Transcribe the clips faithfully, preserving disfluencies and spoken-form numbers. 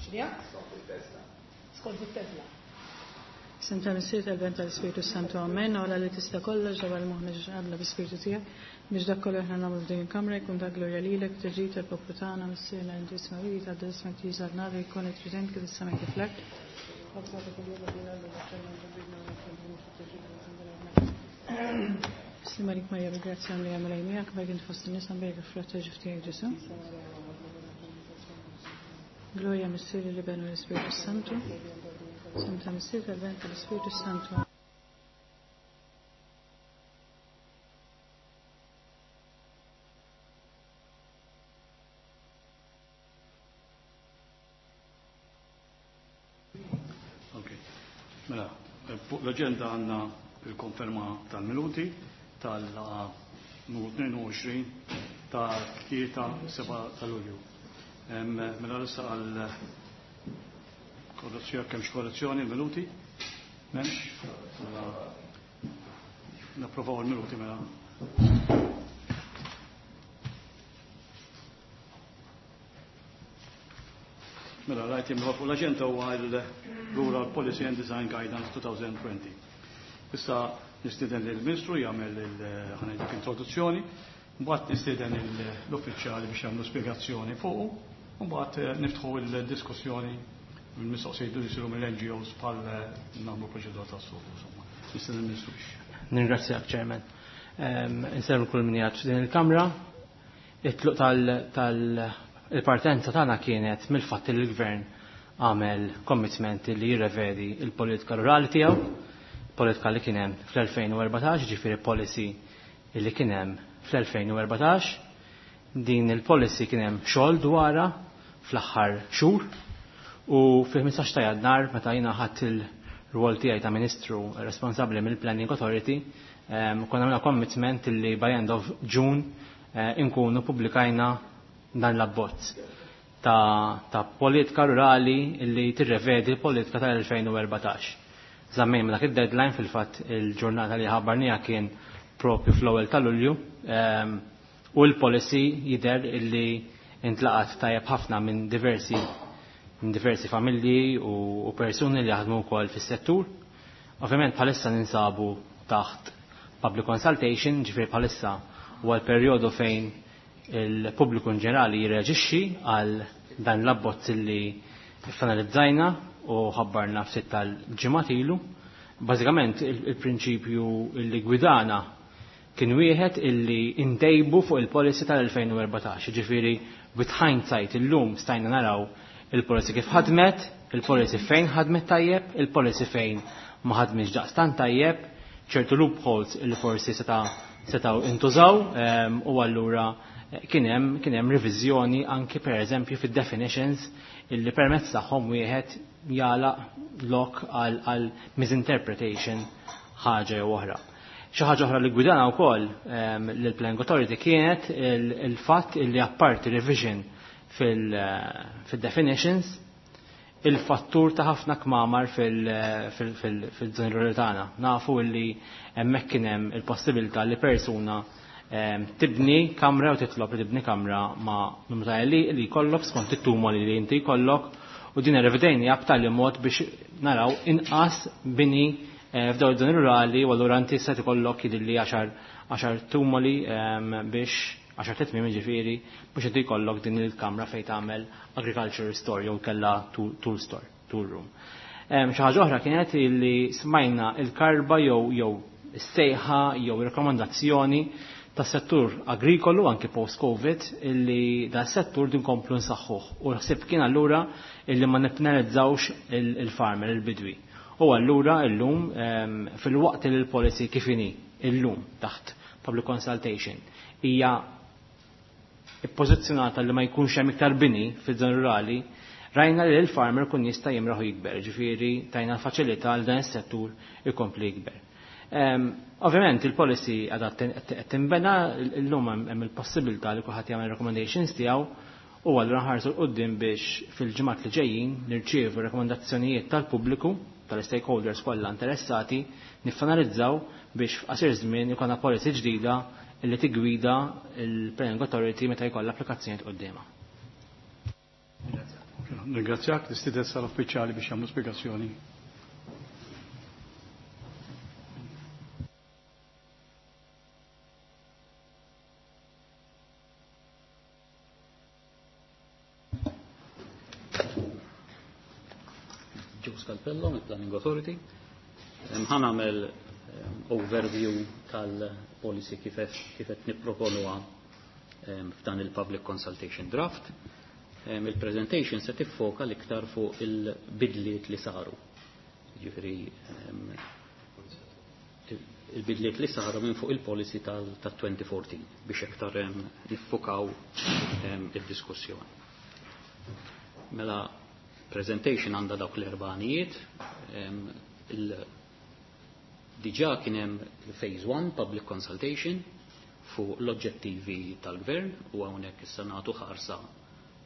X'nija? Skont it-teżla. Isem tal-Missier, tal-Iben, tal-Ispirtu Santu, amen. Alla li tista' kollox, ġabbar moħħna ġo qabla bi-Spirtu tiegħek, biex dak kollu aħna nagħmlu f'din il-kamra jkun ta' glorja lilek, tiġi tal-poplu tagħna, Missierna inti isma' tgħaddi ismek tiġi saltnatek, jkun li trid kif is-sema kif l-art. Slima lik Marija bil-grazzja li għamel miegħek, bejk int fost in-nisa mbierek il-frott tal-ġuf tiegħek Ġesù. Gloria Missier, l-Iben u l-Ispirtu Santu. Isem tal-Missier, tal-Iben, tal-Ispirtu Santu. Ok. Mela, fuq l-agenda għandna il-konferma tal-minuti tal-numru tnejn u għoxrin ta' tlieta seba' ta' Lulju. Em, mela issa għal korrezzjoni, kemm korrezzjoni l-minuti? M'hemmx? Mela napprovaw il-minuti mela. Mela, l-item fuq l-agenda huwa il-Rural Policy and Design Guidance twenty twenty. Issa nistieden lill-Ministru jagħmel il-ħanejdik introduzzjoni, mbagħad nistieden l-uffiċjali biex jagħmlu spjegazzjoni fuqu, u mbagħad niftħu l-diskussjoni mill-mistoqsijiet li jsiru mill-N G Os bħal nagħmlu proċedura tas-suq, insomma. Nistieden il-Ministru biex. Ningrazzjak, Chairman. Ehm, insellmu kull min qiegħed f'din il-Kamra. It-tluq tal-, tal-, il-partenza tagħna kienet mill-fatt li l-Gvern għamel commitment li jirrevedi il-politika rurali tiegħu, politika li kien hemm fl-elfejn u erbatax, ġifieri policy li kien hemm fl-elfejn u erbatax. Din il-policy kien hemm xogħol dwarha fl-aħħar xhur u fil-ħmistax ta' Jannar meta jiena ħadt il-rwol tiegħi ta' Ministru responsabbli mill-Planning Authority, ehm, konna għamilna commitment li by end of June, eh, inkunu pubblikajna dan l-abbozz ta', ta' politika rurali li tirrevedi l-politika tal-elfejn u erbatax. Żammejn dak id-deadline, fil-fatt il-ġurnata li ħabbarnija kien propju fl-ewwel ta' Lulju, ehm, u l-policy jidher illi intlaqat tajjeb ħafna minn diversi, minn diversi familji u, u persuni li jaħdmu wkoll fis-settur. Ovvjament bħalissa ninsabu taħt public consultation, ġifieri bħalissa huwa l-perjodu fejn il-pubbliku in ġenerali jirreaġixxi għal dan l-abbozz li finalizzajna u ħabbarna ftit tal-ġimgħat ilu. Bażikament il-, il-prinċipju li gwidana kien wieħed illi intejbu fuq il-policy tal-elfejn u erbatax, ġifieri with hindsight illum stajna naraw il-policy kif ħadmet, il-policy fejn ħadmet tajjeb, il-policy fejn ma ħadmitx daqstant tajjeb, ċertu loopholes illi forsi seta', setgħu intużaw, ehm, u allura kien hemm, kien hemm reviżjoni anki per eżempju fid-definitions illi permezz tagħhom wieħed jagħlaq lok għal, għal misinterpretation ħaġa jew oħra. Xi ħaġa oħra li gwidana wkoll, ehm, lill-Planning Authority kienet il-, il-fatt illi apparti revision fil-, fil-definitions il-fattur ta' ħafna kmamar fil-, fil-, fil-, fil-żoni rurali tagħna. Nafu illi hemmhekk kien hemm il-possibilità li persuna, ehm, tibni kamra u titlob li tibni kamra ma' numru ta' li li jkollok skont it-tumoli li inti jkollok, u din irrevedejni b'tali mod biex naraw inqas bini, eh, f'dawn iż-żoni rurali, u allura inti se tkollok jidhirli għaxar, għaxar tumoli, ehm, biex għaxar titmiem jiġifieri biex inti jkollok din il-kamra fejn tagħmel agriculture store jew kellha tool, tool store, tool room. Ehm, xi ħaġa oħra kienet illi smajna il-karba jew, jew is-sejħa jew ir-rakkomandazzjoni tas-settur agrikolu anki post-Covid illi da settur din komplu nsaħħuh. U l-ħsieb kien allura illi ma nippenalizzawx il-, il-farmer, il-bidwi. U allura illum, ehm, fil-waqt li l-policy kif inhi illum taħt public consultation hija ippożizzjonata li ma jkunx hemm iktar bini fiż-żoni rurali, rajna li l-farmer kun jista' jimraħu jikber, ġifieri tajna l-faċilità għal dan is-settur ikompli jikber. Ehm, ovvjament il-policy għadha qed tinbena, illum hemm, hemm il-possibilità li kulħadd jagħmel recommendations tiegħu, u allura nħarsu 'l quddiem biex fil-ġimgħat li ġejjin nirċievu rekomendazzjonijiet tal-pubbliku, tal-stakeholders kollha interessati, niffinalizzaw biex f'qasir żmien ikollna policy ġdida illi tigwida il-Planning Authority meta jkollha applikazzjonijiet quddiemha. Ringrazzjak, nistieden sal-uffiċjali biex jagħmlu spjegazzjoni. Joe Scalpello, mill-Planning Authority. Ħa nagħmel overview tal-policy kif qed nipproponuha f'dan il-Public Consultation Draft. Il-presentation se tiffoka l-iktar fuq il-bidliet li saru. Ġifieri il-bidliet li saru minn fuq il-policy tal-twenty fourteen biex iktar niffokaw id-diskussjoni. Mela presentation għandha dawk l-erba' għanijiet. Diġà kien hemm phase one public consultation fuq l-oġġettivi tal-gvern u hawnhekk issa nagħtu ħarsa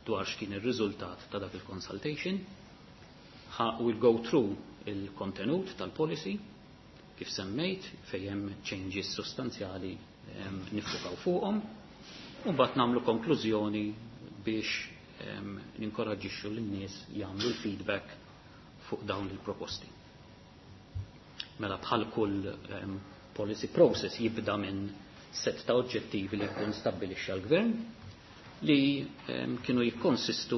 dwar x'kien ir-riżultat ta' dak il-consultation. We'll go through il-kontenut tal-policy kif semmejt fejn hemm changes sostanzjali nifukaw fuqhom u mbagħad nagħmlu konklużjoni biex ninkoraġġixxu lin-nies jagħmlu l-feedback fuq dawn il-proposti. Mela bħal kull policy process jibda minn set ta' oġġettivi li jkun stabbilixxa l-gvern li kienu jikkonsistu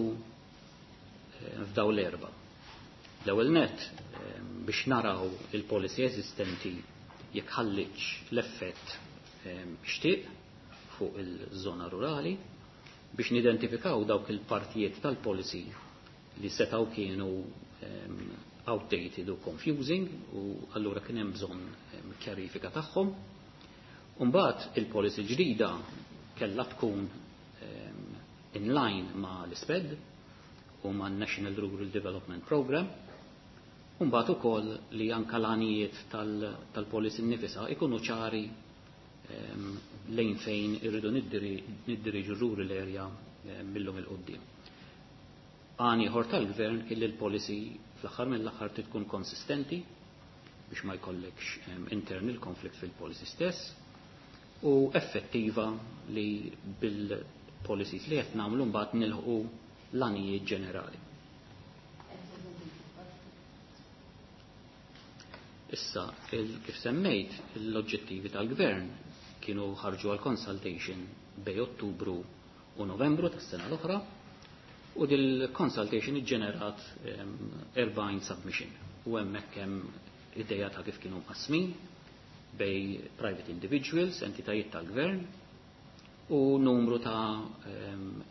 f'daw l-erba. L-ewwel net biex naraw il-policy eżistenti jekk ħalliċ l-effett xtieq fuq il-żona rurali, biex nidentifikaw dawk il-partijiet tal-policy li setgħu kienu outdated u confusing u allura kien hemm bżonn kjarifika tagħhom. Mbagħad il-policy ġdida kellha tkun in line ma' l-ISPED u ma' National Rural Development Program. Mbagħad ukoll li anke l-għanijiet tal-policy nnifisha ikunu ċari lejn fejn irridu niddiriġu rural area millum il-qoddim. Għan ieħor tal-gvern kien li l-policy fl-aħħar mill-aħħar trid tkun konsistenti biex ma jkollekx internal conflict fil-policy stess u effettiva li bil-policies li qed nagħmlu mbagħad nilħqu l-għanijiet ġenerali. Issa, kif semmejt, l-oġġettivi tal-gvern kienu ħarġu għal consultation bej Ottubru u Novembru tas-sena l-oħra u dil-consultation iġġenerat erbgħin submission u hemmhekk hemm ideja ta' kif kienu mqasmin bej private individuals, entitajiet tal-gvern u numru ta'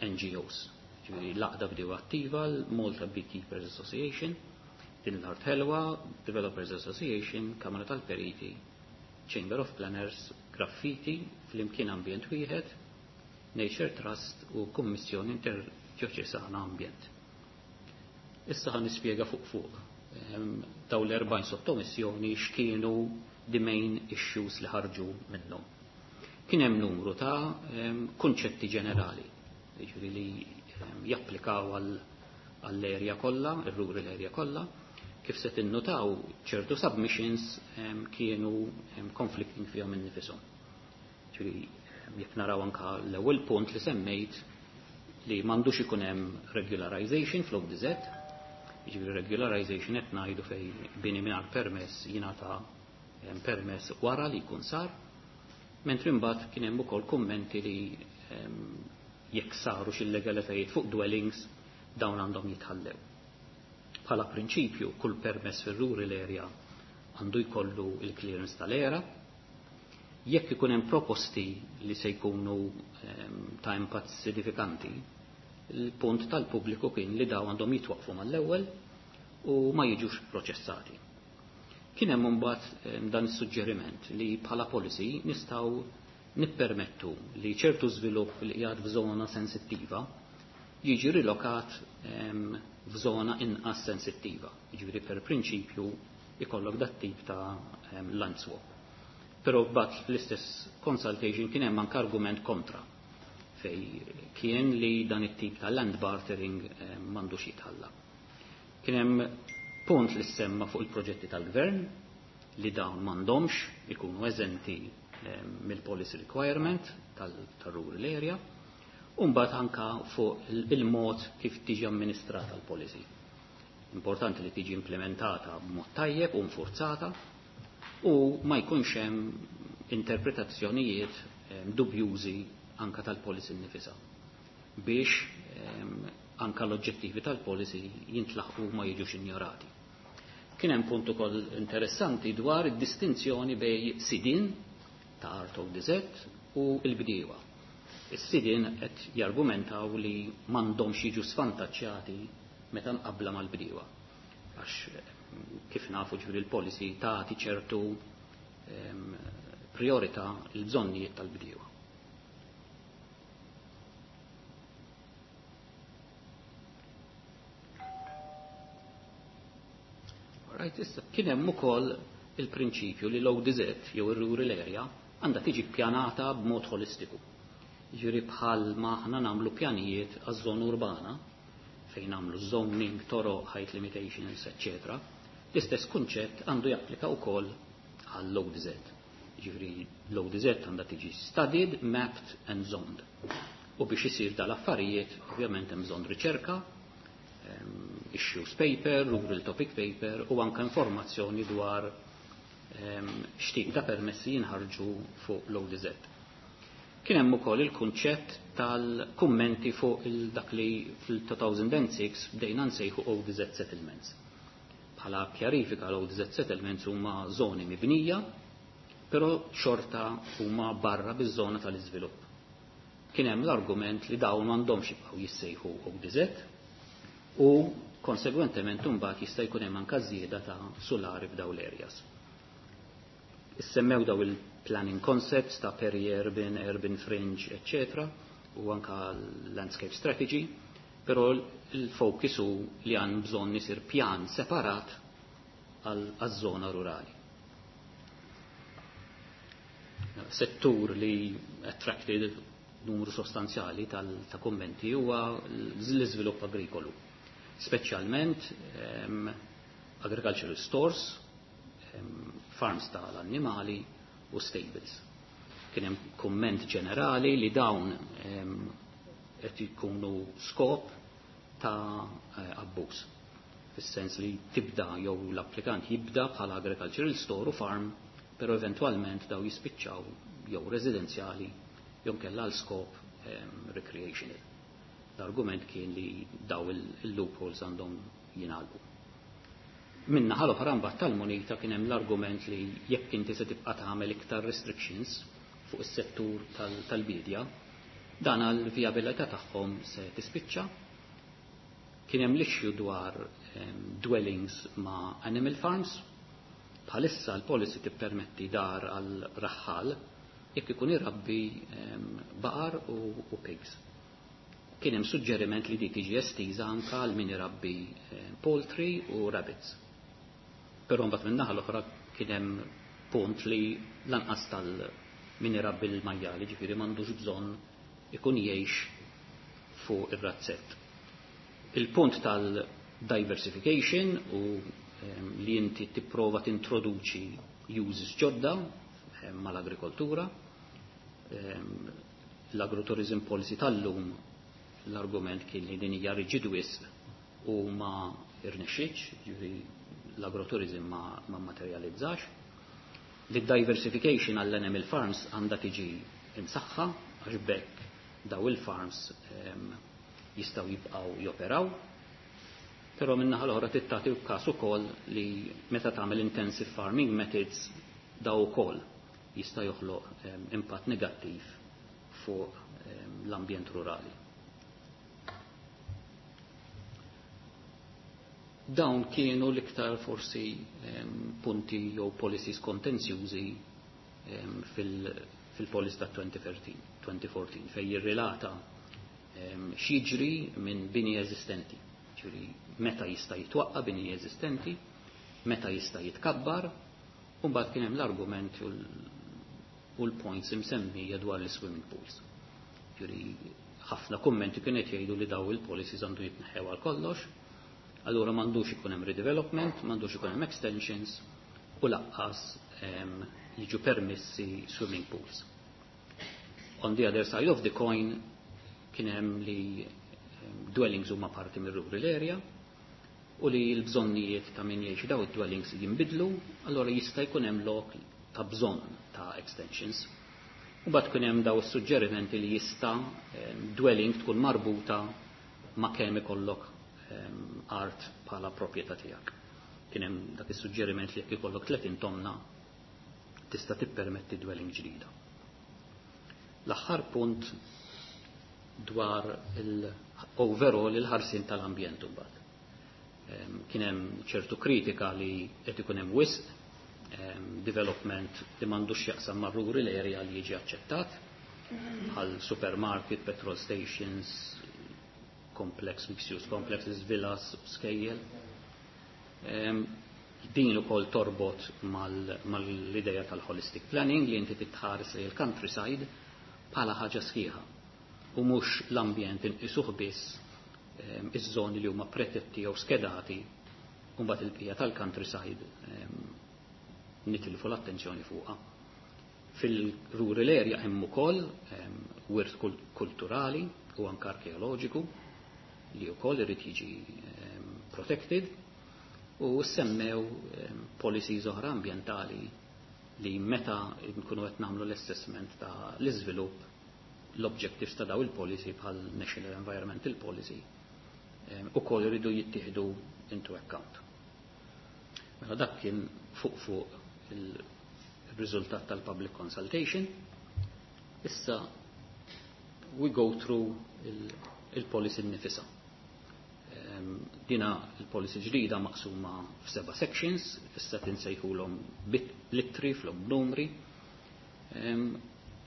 N G Os. Ġifieri l-Għaqda Bdiewa Attiva, l-Malta Beekeepers Association, din l-Art Ħelwa, Developers Association, Kamra tal-Periti, Chamber of Planners, Graffiti, Flimkien Ambjent Wieħed, Nature Trust u Kummissjoni Interdjoċesana Ambjent. Issa ħa nispjega fuq fuq daw l-erbgħin sottomissjoni x'kienu the main issues li ħarġu minnhom. Kien hemm numru ta' kunċetti ġenerali, jiġifieri li japplikaw għall-area kollha, ir-rural area kollha. Kif se tinnutaw ċertu submissions kienu conflicting fihom innifishom. Ġifieri jekk naraw anke l-ewwel punt li semmejt li m'għandux ikun hemm regularization fl-O D Z, jiġifieri regularization qed ngħidu fejn bini mingħajr permess jingħata permess wara li jkun sar, mentri mbagħad kien hemm ukoll kummenti li jekk saru xi illegalitajiet fuq dwellings dawn għandhom jitħallew. Bħala prinċipju kull permess fir-rural area għandu jkollu il-clearance tal-era. Jekk ikun hemm proposti li se jkunu ta' impatt sinifikanti, il-punt tal-pubbliku kien li dawn għandhom jitwaqfu mal-ewwel u ma jiġux proċessati. Kien hemm imbagħad dan is-suġġeriment li bħala policy nistgħu nippermettu li ċertu żvilupp li qiegħed f'żona sensittiva jiġi rilokat f'żona inqas sensittiva. Jiġifieri per prinċipju ikollok dat tip ta' land swap. Però mbagħad fl-istess consultation kien hemm anke argument kontra fej kien li dan it-tip ta' land bartering m'għandux jitħalla. Kien hemm punt li semma fuq il-proġetti tal-gvern li dawn m'għandhomx ikunu eżenti mill-policy requirement tal-rural area U mbagħad anka fuq il-mod kif tiġi amministrata l-policy. Importanti li tiġi implementata b'mod tajjeb u nfurzata u ma jkunx hemm interpretazzjonijiet dubjużi anka tal-policy nnifisha biex anka l-oġġettivi tal-policy jintlaħqu ma jiġux injorati. Kien hemm punt ukoll interessanti dwar id-distinzjoni bejn sidien ta' art O D Z u l-bdiewa. Is-sidien qed jargumentaw li m'għandhomx jiġu svantaġġjati meta mqabbla mal-bdiewa. Għax kif nafu, ġifieri l-policy tagħti ċertu priorità l-bżonnijiet tal-bdiewa. Right, issa kien hemm ukoll il-prinċipju li l-O D Z jew ir-rural area għandha tiġi ppjanata b'mod holistiku. Ġifieri bħal ma aħna nagħmlu pjanijiet għaż-żona urbana fejn nagħmlu zoning, toroq, height limitations, eċċetera. L-istess kunċett għandu japplika wkoll għall-O D Z. Ġifieri l-O D Z għandha tiġi studied, mapped and zoned. U biex isir dal-affarijiet, ovvjament hemm bżonn riċerka, issues paper, rural topic paper u anka informazzjoni dwar x'tip ta' permessi jinħarġu fuq l-O D Z. Kien hemm ukoll il-kunċett tal-kummenti fuq il-dak li fil-elfejn u sitta bdejna nsejħu O D Z settlements. Bħala kjarifika, l-O D Z settlements huma żoni mibnija, però xorta huma barra biż-żona tal-iżvilupp. Kien hemm l-argument li dawn m'għandhomx jibqgħu jissejħu O D Z u konsegwentement imbagħad jista' jkun hemm anke żieda ta' sulari f'dawn l-areas. Issemmew daw il-planning concepts ta' peri-urban, urban fringe, eccetera, u anka landscape strategy, però il-focus hu li għan bżonn isir pjan separat għal-żona rurali. Settur li attracted numru sostanzjali ta' kommenti huwa l-iżvilupp agrikolu. Speċjalment um, agricultural stores, um, farms tal-annimali u stables. Kien hemm kumment ġenerali li dawn qed jkunu skop ta' eh, abbuż. Fis-sens li tibda jew l-applikant jibda bħala agricultural store u farm, però eventwalment daw jispiċċaw jew residenzjali jew kella għal skop recreational. L-argument kien li daw il-loopholes għandhom jingħalqu. Min-naħa l-oħra mbagħad tal-munita kien hemm l-argument li jekk inti se tibqa' tagħmel iktar restrictions fuq is-settur tal-bidja, dan għal-vijabilità tagħhom se tispiċċa. Kien hemm l-issue dwar dwellings ma' animal farms. Bħalissa l-policy tippermetti dar għal raħħal jekk ikun irabbi baqar u, u pigs. Kien hemm suġġeriment li dik tiġi estiża anke għal min irabbi poultry u rabbits. Però mbagħad min-naħa l-oħra kien hemm punt li lanqas tal min irabbi l-majjali, ġifieri m'għandux bżonn ikun jgħix fuq ir-razzett. Il-punt tal-diversification u li inti tipprova tintroduċi uses ġodda mal-agrikoltura. L-agrotourism policy tal-lum, l-argument kien li din hija riġid wisq u ma irnexxietx, ġifieri l-agrotourism ma, ma materializzax. Li diversification għall-animal farms għandha tiġi imsaħħa għax bekk daw il-farms jistgħu jibqgħu joperaw. Però min-naħa l-oħra tagħti każ ukoll li meta tagħmel intensive farming methods daw ukoll jista' joħloq impatt negattiv fuq l-ambjent rurali. Dawn kienu l-iktar forsi punti jew policies kontenzjużi fil-policy ta' elfejn u erbatax fej jirrilata x'jiġri minn bini eżistenti. Ġifieri meta jista' jitwaqqa bini eżistenti, meta jista' jitkabbar, u mbagħad kien hemm l-argument u l-points imsemmija dwar l-swimming pools. Ġifieri ħafna kummenti kienet jgħidu li daw il-policies għandu jitneħħew għal kollox, allura m'għandux ikun hemm redevelopment, m'għandux ikun hemm extensions u lanqas jiġu permessi swimming pools. On the other side of the coin, Kien hemm li dwellings huma parti mir-rural area u li l-bżonnijiet ta' min jgħix daw id-dwellings jinbidlu, allora jista' jkun hemm lok ta' bżonn ta' extensions. U mbagħad kien hemm daw is-suġġerimenti li jista' dwelling tkun marbuta ma' kemm ikollok art bħala proprjetà tiegħek. Kien hemm dak is-suġġeriment li jekk ikollok tletin tomna tista' tippermetti dwelling ġdida. L-aħħar punt dwar il-overall il-ħarsin tal-ambjent imbagħad. Kien hemm ċertu kritika li qed ikun hemm wisq development li m'għandux x'jaqsam mar-rural area li jiġi aċċettat bħal supermarket, petrol stations, complex, mixed use complexes, villas, skejjel. Din ukoll torbot mal-ideja tal-holistic planning li inti titħares li l-countryside bħala ħaġa sħiħa u mhux l-ambjent inqisuh biss iż-żoni li huma protetti jew skedati u mbagħad il-bqija tal-countryside nitilfu l-attenzjoni fuqha. Fil-rural area hemm ukoll wirt kulturali u anke arkeoloġiku li wkoll irid jiġi protected u semmew policies oħra ambjentali li meta nkunu qed nagħmlu l-assessment ta' l-iżvilupp, l-objectives ta' daw il-policy bħal National Environmental Policy ukoll iridu jittieħdu into account. Mela dak kien fuq fuq il-riżultat tal-public consultation. Issa we go through il-policy nnifisha. Dina il-policy ġdida maqsuma f'seba' sections, issa tinsejħulhom bl-ittri flok numri.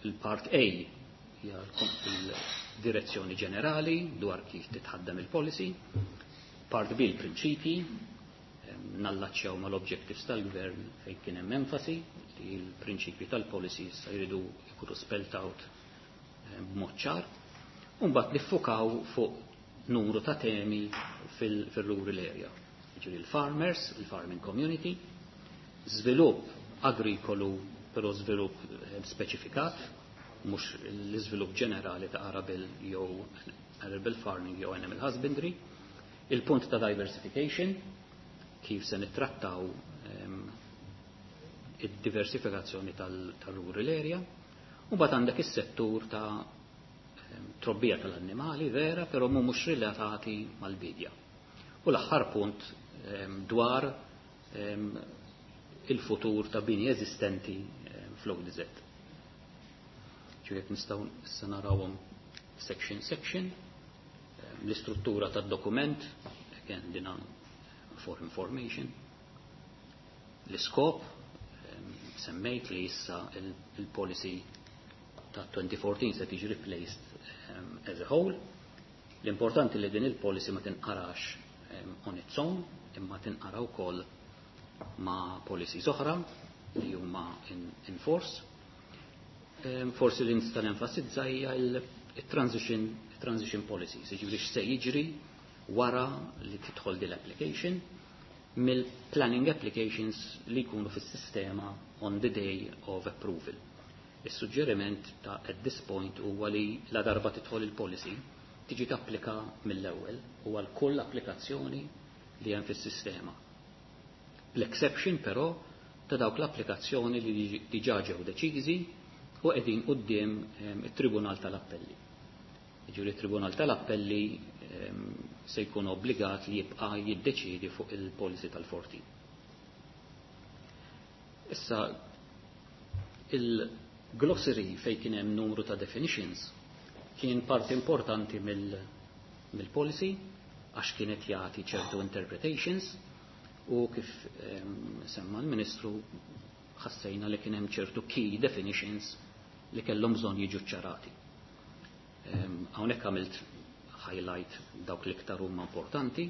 Il-part A hija il-direzzjoni ġenerali dwar kif titħaddem il-policy. Part B, il-prinċipji, nallaċċjaw mal-objectives tal-gvern fejn kien hemm enfasi li l-prinċipji tal-policy issa jridu jkunu spelled out b'mod ċar. U mbagħad niffukaw fuq numru ta' temi fil-rural area. Jiġifieri il-farmers, il-farming community, żvilupp agrikolu, però żvilupp speċifikat, mhux l-iżvilupp ġenerali ta' arable jew arable farming jew animal husbandry, il-punt ta' diversification, kif se nittrattaw id-diversifikazzjoni tal-rural area, u mbagħad għandek is-settur ta' trobbija tal-annimali vera, però mhux relatati mal-bidja. U l-aħħar punt dwar il-futur ta' bini eżistenti fl-O D Z. Ġifieri nistgħu issa narawhom section section, l-istruttura tad-dokument, again dina for information, l-iskop, semmejt li issa il-policy ta' twenty fourteen se tiġi replaced um, as a whole. L-importanti li din il-policy ma tinqarax um, on its own, imma tinqara wkoll ma' policies oħra li huma in, in force. Um, forsi li nista' nenfasizza hija il-transition transition policies, jiġifieri x'se jiġri wara li tidħol din l-application mill-planning applications li jkunu fis-sistema on the day of approval. Is-suġġeriment ta' at this point huwa li la darba tidħol il-policy tiġi tapplika mill-ewwel u għal kull applikazzjoni li hemm fis-sistema. L-exception però ta' dawk l-applikazzjoni li diġà ġew deċiżi u qegħdin quddiem it-Tribunal tal-Appelli. Jiġifieri it-Tribunal tal-Appelli se jkun obbligat li jibqa' jiddeċiedi fuq il-policy tal-fourteen. Issa il-glossary fejn kien hemm numru ta' definitions kien parti importanti mill-policy għax kienet jagħti ċertu interpretations u kif semma l-Ministru ħassejna li kien hemm ċertu key definitions li kellhom bżonn jiġu ċarati. Hawnhekk għamilt highlight dawk l-iktar huma importanti.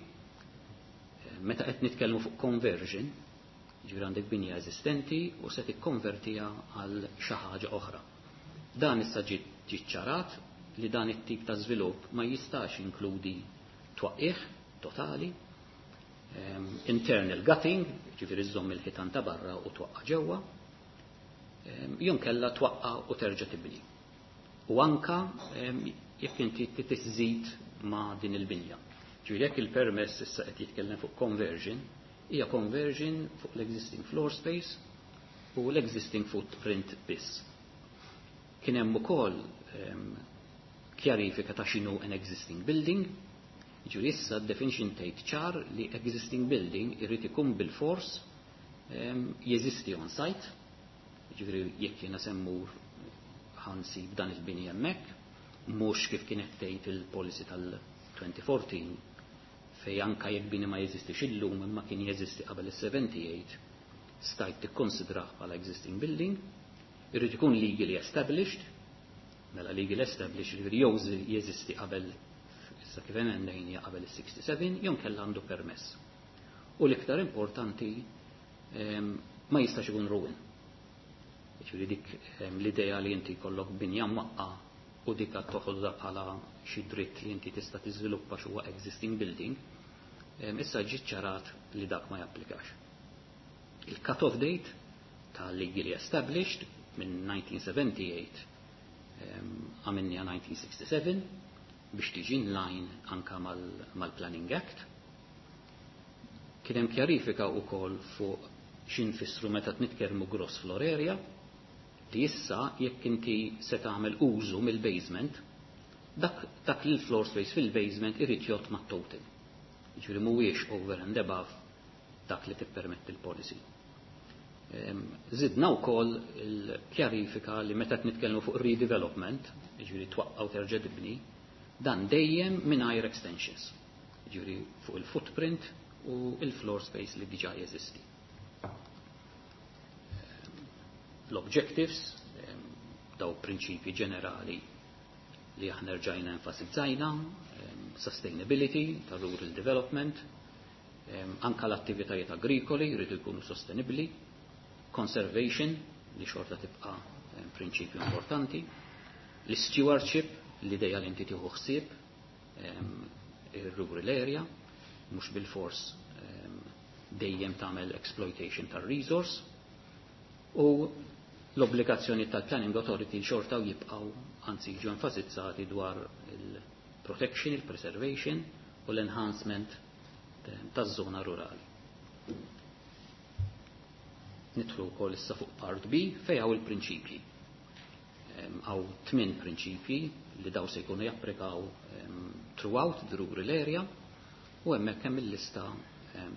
Meta qed nitkellmu fuq conversion, ġifieri għandek binja eżistenti u se tikkonvertiha għal xi ħaġa oħra. Dan issa ġie ċarat li dan it-tip ta' żvilupp ma jistax inkludi twaqqih totali, internal gutting, ġifieri żżomm il-ħitan ta' barra u twaqqa ġewwa, jew inkella twaqqa u terġa' tibni. U anka jekk inti tiżżid ma' din il-binja. Ġifieri jekk il-permess issa qed jitkellem fuq conversion, hija conversion fuq l-existing floor space u l-existing footprint biss. Kien hemm ukoll ehm, kjarifika ta' x'inhu an existing building, ġifieri issa definition tgħid ċar li existing building irid ikun bil-fors ehm, jeżisti on site, ġifieri jekk jiena se mmur ħa nsib dan il-bini hemmhekk, mhux kif kienet tgħid il-policy tal-elfejn u erbatax fej anka jekk bini ma jeżistix illum imma kien jeżisti qabel is-sebgħa u sebgħin stajt tikkonsidrah bħala existing building, irrid ikun legally established, mela legally established ġifieri jew jeżisti qabel issa kif emendajna qabel is-sebgħa u sitta jew kella għandu permess. U l-iktar importanti, ma jistax ikun ruin. Ġifieri dik l-idea li inti jkollok binja mwaqqa u dik qed toħodha bħala xi dritt li inti tista' tiżviluppa x'huwa existing building, issa ġi ċarat li dak ma japplikax. Il-cut-off date ta' legally established minn elf disa' mija u sebgħa u sebgħin għamilniha elf disa' mija u sitta u sebgħin biex tiġi in line anka mal-Planning Act. Kien hemm kjarifika wkoll fuq x'infissru meta nitkellmu gross floor area, li issa jekk inti se tagħmel użu mill-basement, dak, dak li l-floor space fil-basement irid jgħod mat-total. Jiġifieri mhuwiex over and above dak li tippermetti l-policy. Zidna wkoll il-kjarifika li meta nitkellmu fuq redevelopment, jiġifieri twaqqgħu terġa' tibni, dan dejjem mingħajr extensions. Jiġifieri fuq il-footprint u il-floor space li diġà jeżisti. L-objectives, daw prinċipji ġenerali li aħna rġajna enfasizzajna, sustainability ta' rural development, anka l-attivitajiet agrikoli jridu jkunu sostenibli, conservation li xorta tibqa prinċipju importanti, l-stewardship, l-ideja li inti tieħu ħsieb ir-rural area, mhux bil-fors dejjem tagħmel exploitation tar-resource, u l-obbligazzjoni tal-Planning Authority xorta u jibqaw, anzi jiġu enfasizzati dwar il-protection, il-preservation u l-enhancement taż-żona rurali. Nidħlu wkoll issa fuq part B fejn hawn il-prinċipji. Hawn tmien prinċipji li daw se jkunu japplikaw throughout the rural area u hemmhekk hemm il-lista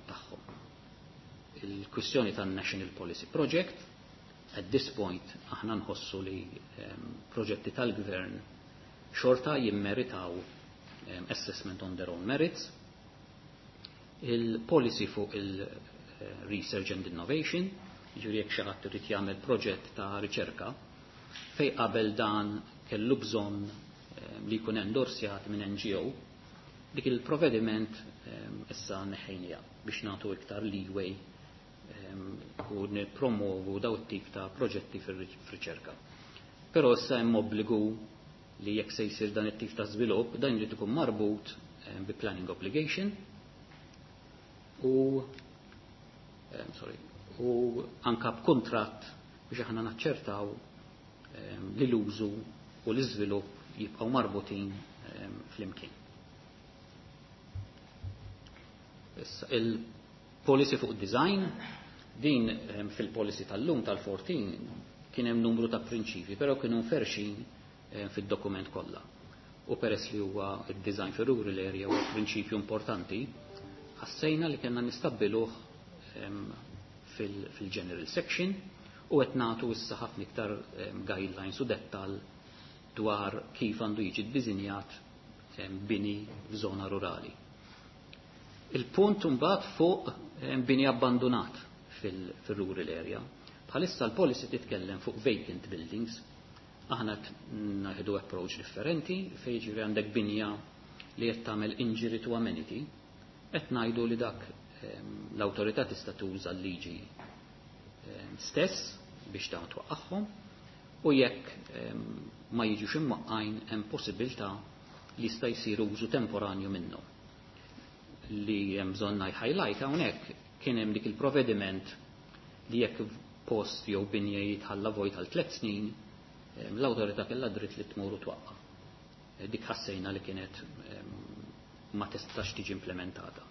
tagħhom. Il-kwistjoni tan-National Policy Project, at this point aħna nħossu li proġetti tal-gvern xorta jimmeritaw assessment on their own merits. Il-policy fuq il-research and innovation, ġifieri jekk xi ħadd irid jagħmel proġett ta' riċerka, fej qabel dan kellu bżonn li jkun endorsjat minn N G O, dik il-provvediment issa neħħejnieha biex nagħtu iktar leeway u nippromovu daw tip ta' proġetti fir-riċerka. Però issa hemm obbligu li jekk se jsir dan it-tip ta' żvilupp, dan jrid ikun marbut bi planning obligation u sorry, u anka b'kuntratt biex aħna naċċertaw li l-użu u l-iżvilupp jibqgħu marbutin flimkien. Issa il-policy fuq design, din fil-policy tal-lum tal-erbatax kien hemm numru ta' prinċipji, però kienu mferxin fid-dokument kollha. U peress li huwa id-design fir rural area huwa prinċipju importanti, ħassejna li kellna nistabbiluh fil-general section u qed nagħtu issa ħafna iktar guidelines u dettal dwar kif għandu jiġi ddisinjat bini f'żona rurali. Il-punt mbagħad fuq bini abbandonat fil-rural area. Bħalissa l-policy titkellem fuq vacant buildings. Aħna naħdu approach differenti fejn ġifieri għandek binja li qed tagħmel injury to amenity, qed ngħidu li dak l-awtorità tista' tuża l-liġi stess biex dawn twaqqagħhom u jekk ma jiġux imwaqqajn hemm possibilità li jista' jsir użu temporanju minnhom. Li hemm bżonn highlight hawnhekk, kien hemm dik il-provvediment li jekk post jew binja jitħalla vojt għal tliet snin, l-awtorità kellha dritt li tmur u twaqqa'. Dik ħassejna li kienet ma tistax tiġi implementata.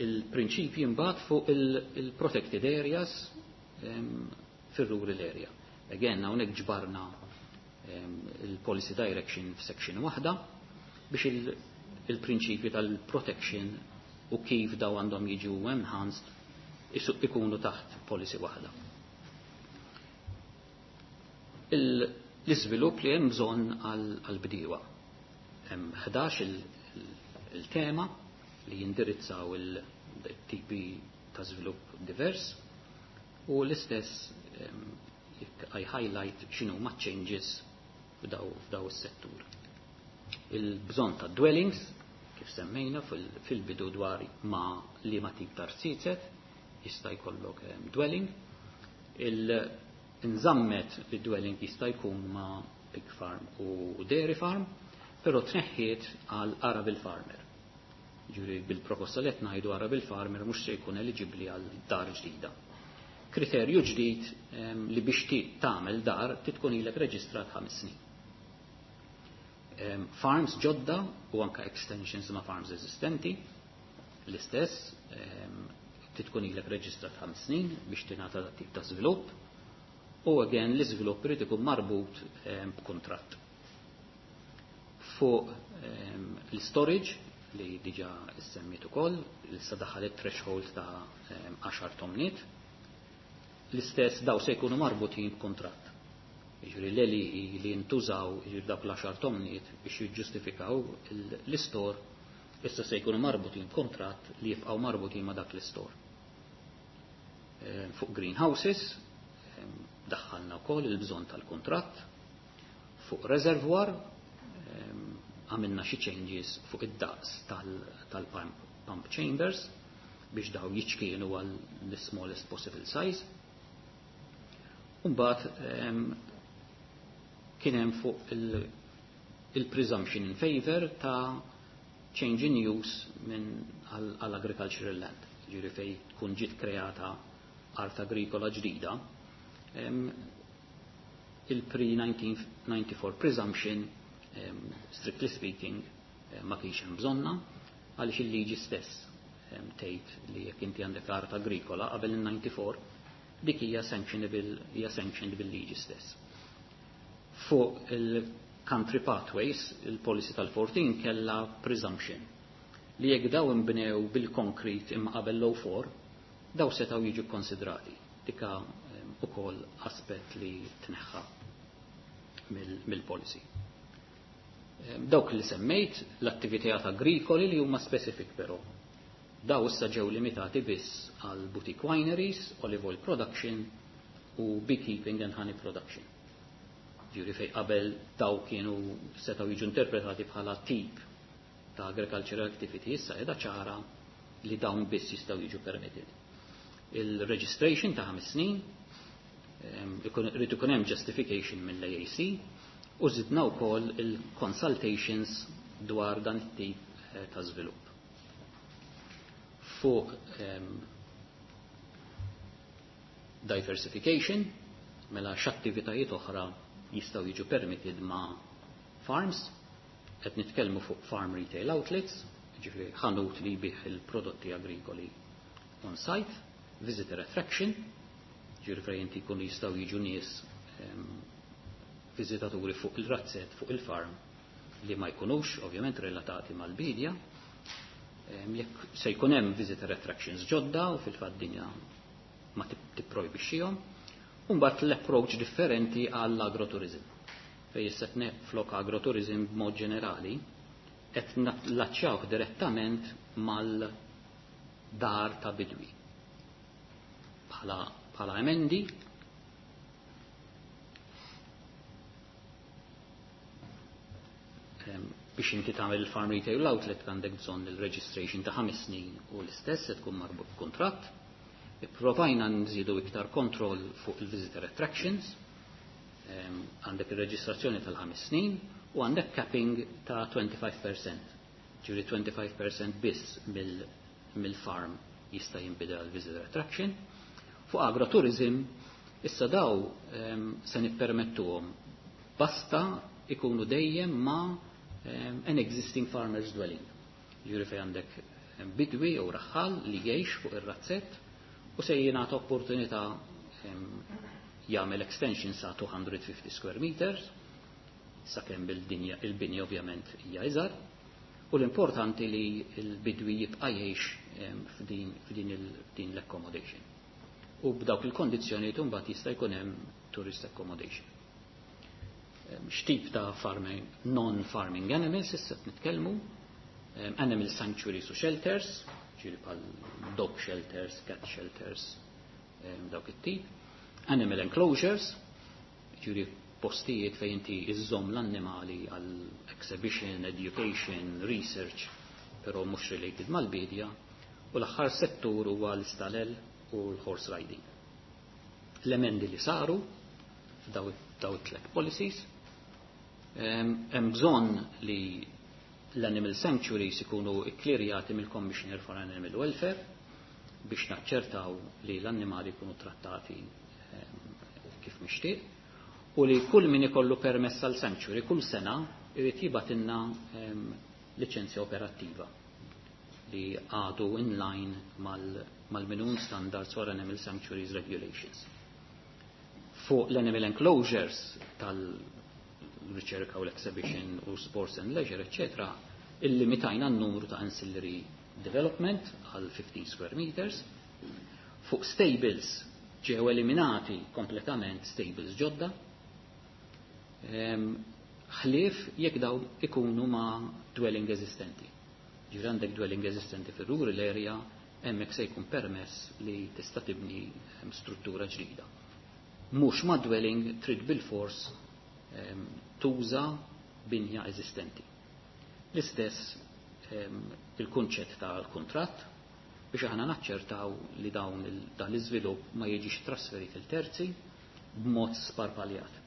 Il-prinċipji mbagħad fuq il-protected areas fir-rural area. Again, hawnhekk ġbarna il-policy direction f'section waħda biex il-prinċipji tal-protection u kif daw għandhom jiġu enhanced ikunu taħt policy waħda. L-iżvilupp li hemm bżonn għall-bdiewa. Hemm ħdax il-tema li jindirizzaw il-tipi ta' żvilupp divers u l-istess jekk I highlight x'inhu ma' changes f'daw f'daw is-settur. Il-bżonn ta' dwellings, kif semmejna fil-bidu dwar ma' li ma tip ta' rziezet, jista' jkollok dwelling. Il-nżammet li dwelling jista' jkun ma' pig farm u dairy farm, però tneħħiet għal arable farmer. Ġifieri bil-proposta li qed ngħidu arable farmer mhux se jkun eligibbli għal dar ġdida. Kriterju ġdid li biex tagħmel dar tkun ilek reġistrat ħames snin. Farms ġodda u anka extensions ma' farms eżistenti, l-istess, tkun ilek reġistrat ħames snin biex tingħata dat tip ta' żvilupp, u again l-iżvilupp irid ikun marbut b'kuntratt. Fuq l-storage li diġa semmit ukoll, issa daħal it-threshold ta' għaxar tomniet, l-istess daw se jkunu marbutin b'kuntratt. Jiġifieri l-għelieqi li jintużaw jiġifieri dawk l-għaxar tomniet biex jiġġustifikaw l-istor, issa se jkunu marbutin b'kuntratt li jibqgħu marbutin ma' dak l-istor. Fuq greenhouses, daħħalna wkoll il-bżonn tal-kuntratt. Fuq reservoir, għamilna xi changes fuq id-daqs tal-pump chambers biex daw jiċkienu għal the smallest possible size. Mbagħad kien hemm fuq il-presumption in favor ta' change in use minn għal agricultural land. Ġifieri fej tkun ġiet kreata art agrikola ġdida, il-pre-nineteen ninety-four presumption, strictly speaking, ma kienx hemm bżonna, għaliex il-liġi stess tgħid li jekk inti għandek art agrikola qabel il-ninety-four, dik hija sanctionable, hija sanctioned bil-liġi stess. Fuq il-country pathways, il-policy tal-fourteen kella presumption li jekk daw inbnew bil-konkrit imma qabel l four, daw setgħu jiġu konsidrati. Dika ukoll aspett li tneħħa mill-policy. Dawk li semmejt, l-attivitajiet agrikoli li huma specific però. Daw issa ġew limitati biss għal boutique wineries, olive oil production u beekeeping and honey production. Ġifieri fej qabel daw kienu setgħu jiġu interpretati bħala tip ta' agricultural activity, issa qiegħda ċara li dawn biss jistgħu jiġu permitted. Il-registration ta' ħames snin, irid ikun hemm justification mill-A A C, u żidna wkoll il-consultations dwar dan it-tip, eh, ta' żvilupp. Fuq, ehm, diversification, mela x'attivitajiet oħra jistgħu jiġu permitted ma' farms, qed nitkellmu fuq farm retail outlets, ġifieri ħanut li jbih il-prodotti agrikoli on site, visitor attraction, ġifieri fejn inti jkunu jistgħu jiġu nies, ehm, viżitaturi fuq il-razzett, fuq il-farm, li ma jkunux ovvjament relatati mal-bidja. Ehm, jekk se jkun hemm visitor attractions ġodda u fil-fatt dinja ma tip-, tipprojbixxihom, u mbagħad l-approach differenti għall-agroturizm. Fejn issa flok agroturizm b'mod ġenerali qed nallaċċjawh direttament mal-dar ta' bidwi. Bħala, bħala emendi biex inti tagħmel il-farm retail outlet għandek bżonn il-registration ta' ħames snin u l-istess se tkun marbut b'kuntratt. Ipprovajna nżidu iktar kontroll fuq il-visitor attractions, ehm, għandek il-reġistrazzjoni tal-ħames snin u għandek capping ta' twenty-five percent. Ġifieri twenty-five percent biss mill-, mill-farm jista' jinbidel għal visitor attraction. Fuq agrotourism, issa daw, ehm, se nippermettuhom basta ikunu dejjem ma' um, an existing farmer's dwelling. Ġifieri fejn għandek bidwi jew raħħal li jgħix fuq ir-razzett u se jingħata opportunità um, jagħmel extension sa two hundred fifty square meters, sakemm il-dinja il-binja ovvjament hija iżgħar, u l-importanti li l-bidwi jibqa' jgħix f'din f'din il- l-accommodation. U b'dawk il-kondizzjonijiet imbagħad jista' jkun hemm tourist accommodation. X'tip ta' farming, non-farming animals issa qed nitkellmu, animal sanctuaries u shelters, ġifieri bħal dog shelters, cat shelters, dawk it-tip, animal enclosures, ġifieri postijiet fejn inti iżżomm l-annimali għal exhibition, education, research, però mhux related mal-bidja, u l-aħħar settur huwa l-istalel u l-horse riding. L-emendi li saru f'daw it-tlet policies, hemm bżonn li l-animal sanctuaries ikunu ikklirjati mill-Commissioner for Animal Welfare biex naċċertaw li l-annimali jkunu trattati kif mixtieq u li kull min ikollu permess għal sanctuary kull sena irid jibgħatilna liċenzja operattiva li għadu in line mal-minimum standards for Animal Sanctuaries Regulations. Fuq l-animal enclosures tal-riċerka u l-exhibition u sports and leisure, eccetera, illimitajna n-numru ta' ancillary development għal fifteen square meters. Fuq stables ġew eliminati kompletament stables ġodda. Ħlief jekk daw ikunu ma' dwelling eżistenti. Ġifieri għandek dwelling eżistenti fir-rural area, hemmhekk se jkun permess li tista' tibni struttura ġdida. Mhux ma' dwelling, trid bil-fors tuża binja eżistenti. L-istess il-kunċett tal-kuntratt biex aħna naċċertaw li dawn dan l-iżvilupp ma jiġix trasferit lil terzi b'mod sparpaljat.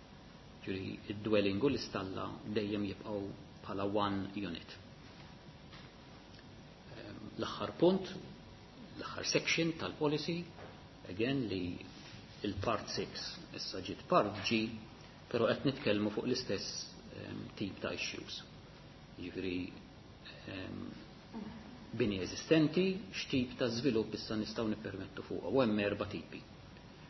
Ġifieri id-dwelling u l-istalla dejjem jibqgħu bħala one unit. L-aħħar punt, l-aħħar section tal-policy, again li il-part six issa ġiet part G, però qed nitkellmu fuq l-istess tip ta' issues. Ġifieri bini eżistenti, x'tip ta' żvilupp issa nistgħu nippermettu fuq, u hemm erba' tipi.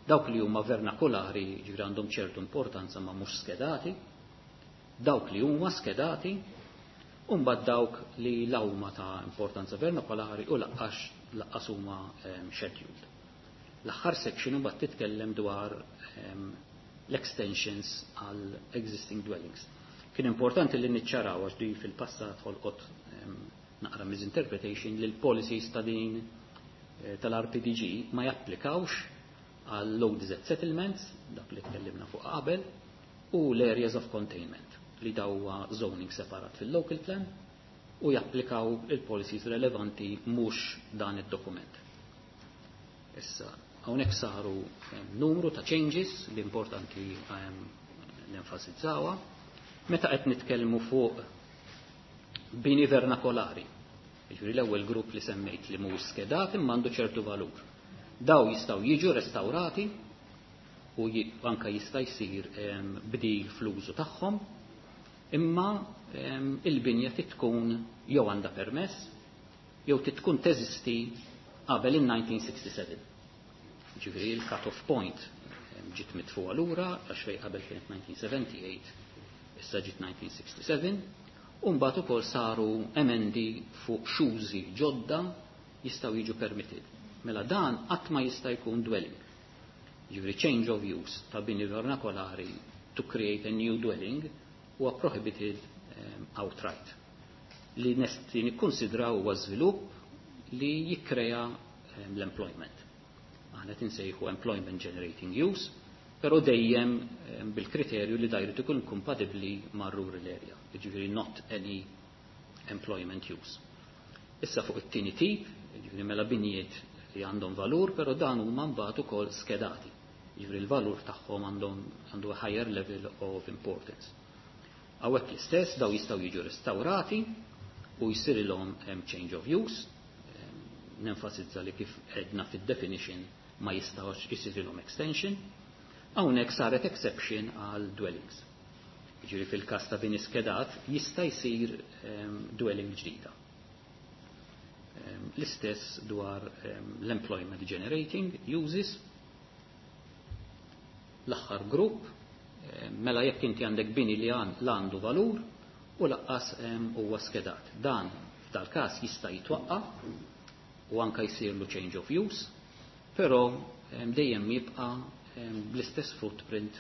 Dawk li huma vernakolari, ġifieri għandhom ċertu importanza ma mhux skedati, dawk li huma skedati, u mbagħad dawk li la huma ta' importanza vernakolari u lanqas lanqas huma um, scheduled. L-aħħar section imbagħad titkellem dwar um, l-extensions għal existing dwellings. Kien importanti li niċċaraw, għax di fil-passat ħolqot um, naqra misinterpretation, li l-policies ta' din eh, tal-R P D G ma japplikawx għal low D Z settlements, dak li tkellimna fuq qabel, u l-areas of containment li dawwa zoning separat fil-local plan u japplikaw il-policies relevanti, mhux dan id-dokument. Issa, hawnhekk saru numru ta' changes li importanti nenfasizzawa. Meta qed nitkellmu fuq bini vernakolari, jiġifieri l-ewwel grupp li semmejt li mhux skedat imma għandu ċertu valur. Daw jistgħu jiġu restaurati u anka jista' jsir bdil fl-użu tagħhom, imma il-binja tkun jew għandha permess jew tkun teżisti qabel il-elf disa' mija u sitta u sebgħin. Ġifieri il-cut-off point ġiet mitfuqa lura, għax fej qabel kienet elf disa' mija u tmienja u sebgħin, issa ġiet elf disa' mija u sitta u sebgħin, u mbagħad ukoll saru emendi fuq x'użi ġodda jistgħu jiġu permitted. Mela dan qatt ma jista' jkun dwelling. Ġifieri change of use ta' bini vernakolari to create a new dwelling huwa prohibited um, outright. Li nesti nikkonsidraw huwa żvilupp li jikkrea um, l-employment. Aħna tinsejħu employment generating use, però dejjem um, bil-kriterju li dajru ikun kompatibbli mar rural area, ġifieri not any employment use. Issa fuq it-tieni tip, ġifieri mela binjiet li għandhom valur, però dan huma mbagħad ukoll skedati. Ġifieri l-valur tagħhom għandhom għandu higher level of importance. Hawnhekk l-istess, daw jistgħu jiġu restaurati u jsirilhom change of use. Nenfasizza li kif edna fid-definition ma jistgħux jsirilhom extension. Hawnhekk saret exception għal dwellings. Ġifieri fil-każ ta' bini skedat jista' jsir um, dwelling ġdida. Um, L-istess dwar um, l-employment generating uses. L-aħħar grupp, um, mela jekk inti għandek bini li għandu valur u lanqas huwa skedat. Dan f'dal-każ jista' jitwaqqa u anka jsirlu change of use, però dejjem jibqa' bl-istess footprint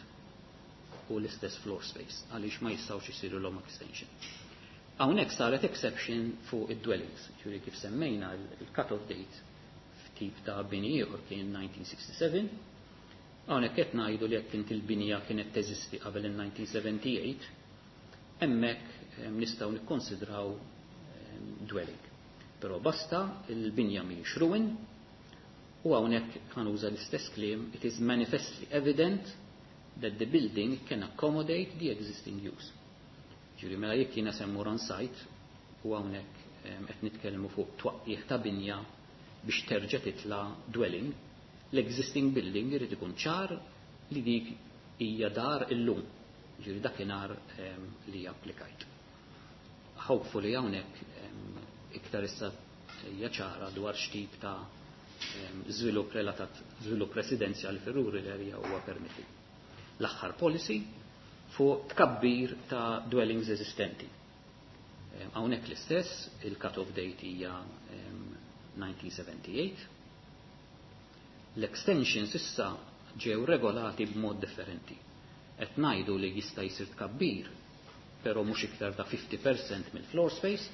u l-istess floor space, għaliex ma jistgħux isiru l extension. Hawnhekk saret exception fuq id-dwellings, ġifieri kif semmejna il-cut-off date f'tip ta' bini ieħor kien elf disa' mija u sitta u sebgħin. Hawnhekk qed ngħidu li jekk inti l-binja kienet teżisti qabel il-elf disa' mija u sebgħa u tmenin, hemmhekk nistgħu nikkonsidraw dwelling. Però basta il-binja mhijiex ruin u hawnhekk ħa nuża l-istess kliem, it is manifestly evident that the building can accommodate the existing use. Ġifieri mela jekk jiena se mmur on site u hawnhekk qed nitkellmu fuq twaqqih ta' binja biex terġa' titla' dwelling, l-existing building irid ikun ċar li dik hija dar illum. Ġifieri dakinhar li applikajt. Hopefully hawnhekk iktar issa hija ċara dwar x'tip ta' żvilupp relatat żvilupp residenzjali fir-rural area huwa permetti. L-aħħar policy fuq tkabbir ta' dwellings eżistenti. Hawnhekk l-istess, il-cut-off date hija elf disa' mija u sebgħa u tmenin. L-extensions issa ġew regolati b'mod differenti. Qed ngħidu li jista' jsir tkabbir, però mhux iktar ta' fifty percent mill-floor space,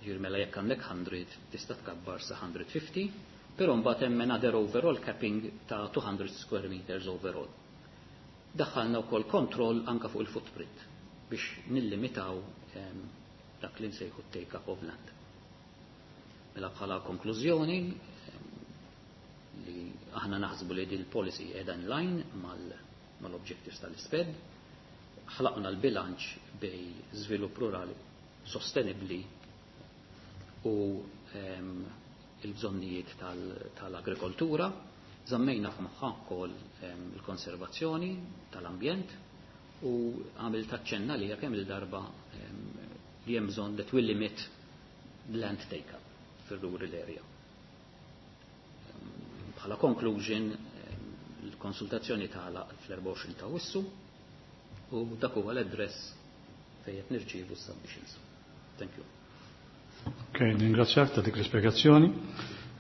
ġifieri mela jekk għandek mija tista' tkabbar sa mija u ħamsin, però mbagħad hemm another overall capping ta' two hundred square meters overall. Daħħalna wkoll kontroll anka fuq il-footprint biex nillimitaw dak li nsejħu take up of land. Mela bħala konklużjoni li aħna naħsbu li din il-policy qiegħda in line mal-objectives tal-ISPED, ħlaqna l-bilanċ bejn żvilupp rurali sostenibli u il-bżonnijiet tal-agrikoltura, żammejna f'moħħa wkoll il-konservazzjoni tal-ambjent u għamil taċċenna li kemm il-darba li hemm bżonn that will limit land take-up fil-rural area. Bħala conclusion, il-konsultazzjoni tagħlaq fl-erbgħa u għoxrin ta' Awwissu u dak huwa l-address fejn qed nirċievu submissions. Thank you. Ok, ningrazzjak ta' dik l-ispjegazzjoni.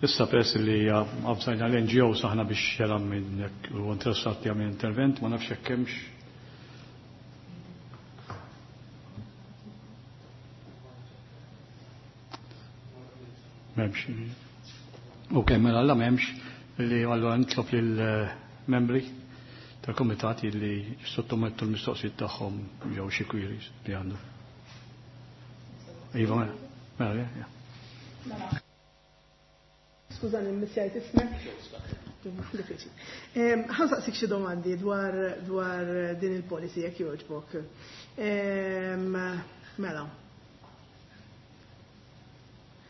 Issa peress li avżajna l-N G O saħna biex jaram minn jekk u interessat li jagħmel intervent, ma nafx jekk hemmx. M'hemmx. Ok, mela alla m'hemmx li allura nitlob lill-membri tal-komitat li sottomettu l-mistoqsijiet tagħhom jew xi queries li għandu. Iva, mela, mela, ja. Skużani, missjajt ismek. Diffiċli. Ħa nsaqsik xi domandi dwar dwar din il-policy jekk jogħġbok. Mela.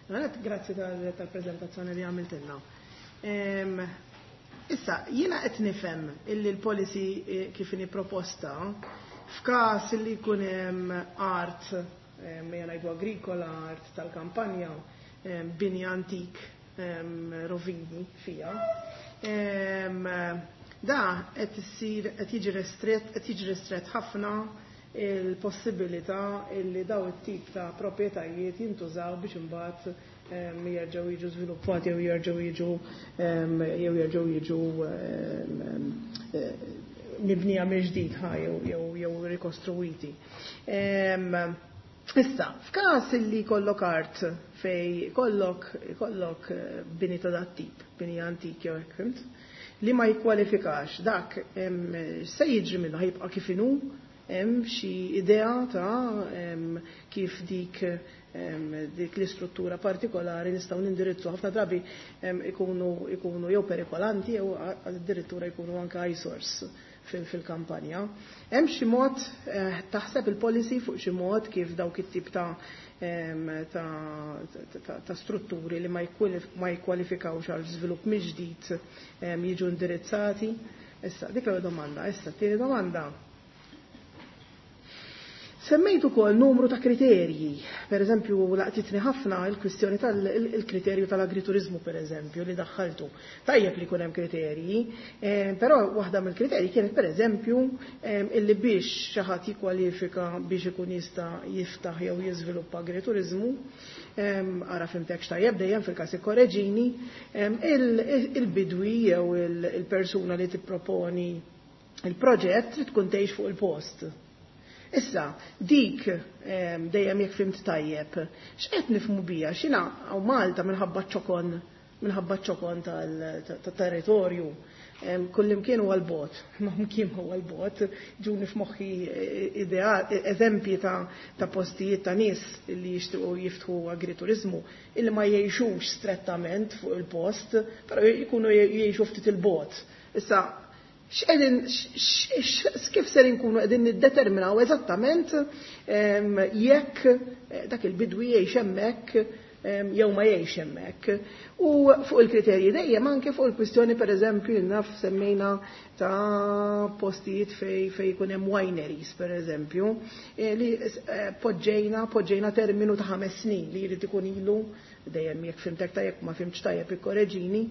Għanet, grazzi tal-prezentazzjoni li għamiltilna. Issa, jiena qed nifhem illi l-policy eh, kif inhi proposta f'każ li jkun hemm art, ejja ngħidu agrikola, art tal-kampanja, bini antik, rovini fija. Da qed issir qed jiġi restret qed jiġi restret ħafna il-possibilità illi daw it-tip ta' proprjetajiet jintużaw biex imbagħad jerġgħu jiġu żviluppati jew jerġgħu jiġu jew jerġgħu jiġu mibnija mill-ġdid ħa jew jew rikostruwiti. Issa, f'każ li kollok art fej kollok kollok bini ta' dat tip, bini antik jew hekk, fhimt, li ma jikkwalifikax, dak se jiġri minnu? Ħa jibqa' kif inhu? Hemm xi idea ta' kif dik dik l-istruttura partikolari nistgħu nindirizzu? Ħafna drabi ikunu ikunu jew perikolanti jew addirittura jkunu anke eyesores fil-kampanja. Hemm xi mod, eh, taħseb il-policy fuq xi mod kif dawk it-tip ta' ta', ta strutturi li ma jikkwalifikawx għal żvilupp mill-ġdid jiġu indirizzati? Issa, dik l domanda. Issa, tieni domanda. Semmejt ukoll numru ta' kriterji. Per eżempju, laqtitni ħafna il-kwistjoni tal-kriterju tal-agriturizmu, per eżempju, li daħħaltu. Tajjeb li jkun hemm kriterji, eh, però waħda mill-kriterji kienet per eżempju eh, illi biex xi ħadd jikkwalifika biex ikun jista' jiftaħ jew jiżviluppa agriturizmu, ara fimtek x'tajjeb dejjem fil-każ ikkoreġini, il-bidwi jew il-persuna li tipproponi il-proġett trid tkun tgħix fuq il-post. Issa, dik dejjem jekk fimt tajjeb, x'qed nifhmu bija, x'ina hawn Malta minħabba ċokon minħabba ċokon tal-territorju, kullimkien huwa l-bot, ma mkien huwa l-bot, ġuni f'moħħi idea, eżempji ta', ta' postijiet ta' nies li jixtiequ jiftħu agriturizmu illi ma jgħixux strettament fuq il-post, però jkunu jgħixu ftit il-bot. Issa, x'qegħdin kif ser inkunu qegħdin niddeterminaw eżattament jekk dak il-bidwi jgħix hemmhekk jew ma jgħix hemmhekk. U fuq il-kriterji dejjem anke fuq il-kwistjoni pereżempju naf semmejna ta' postijiet fej fej jkun hemm wineries pereżempju, li poġġejna poġġejna terminu ta' ħames snin li jrid ikun ilu dejjem jekk fimtek tajjeb ma fimtx tajjeb ikkoreġini,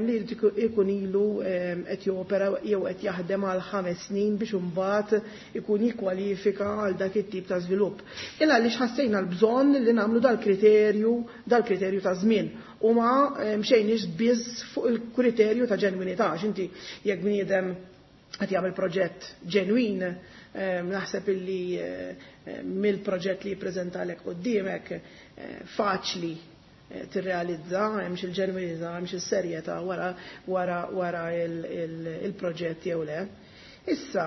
li jrid ikun ilu qed jopera jew qed jaħdem għal ħames snin biex imbagħad ikun jikkwalifika għal dak it-tip ta' żvilupp. Illa għaliex ħassejna l-bżonn li nagħmlu dal-kriterju dal-kriterju ta' żmien u ma mxejniex biss fuq il-kriterju ta' ġenwinità, għax inti jekk bniedem qed jagħmel proġett ġenwin, naħseb illi mill-proġett li jippreżentalek quddiemek faċli tirrealizza hemmx il-ġenwinità, hemmx is-serjetà wara wara wara il-proġett jew le. Issa,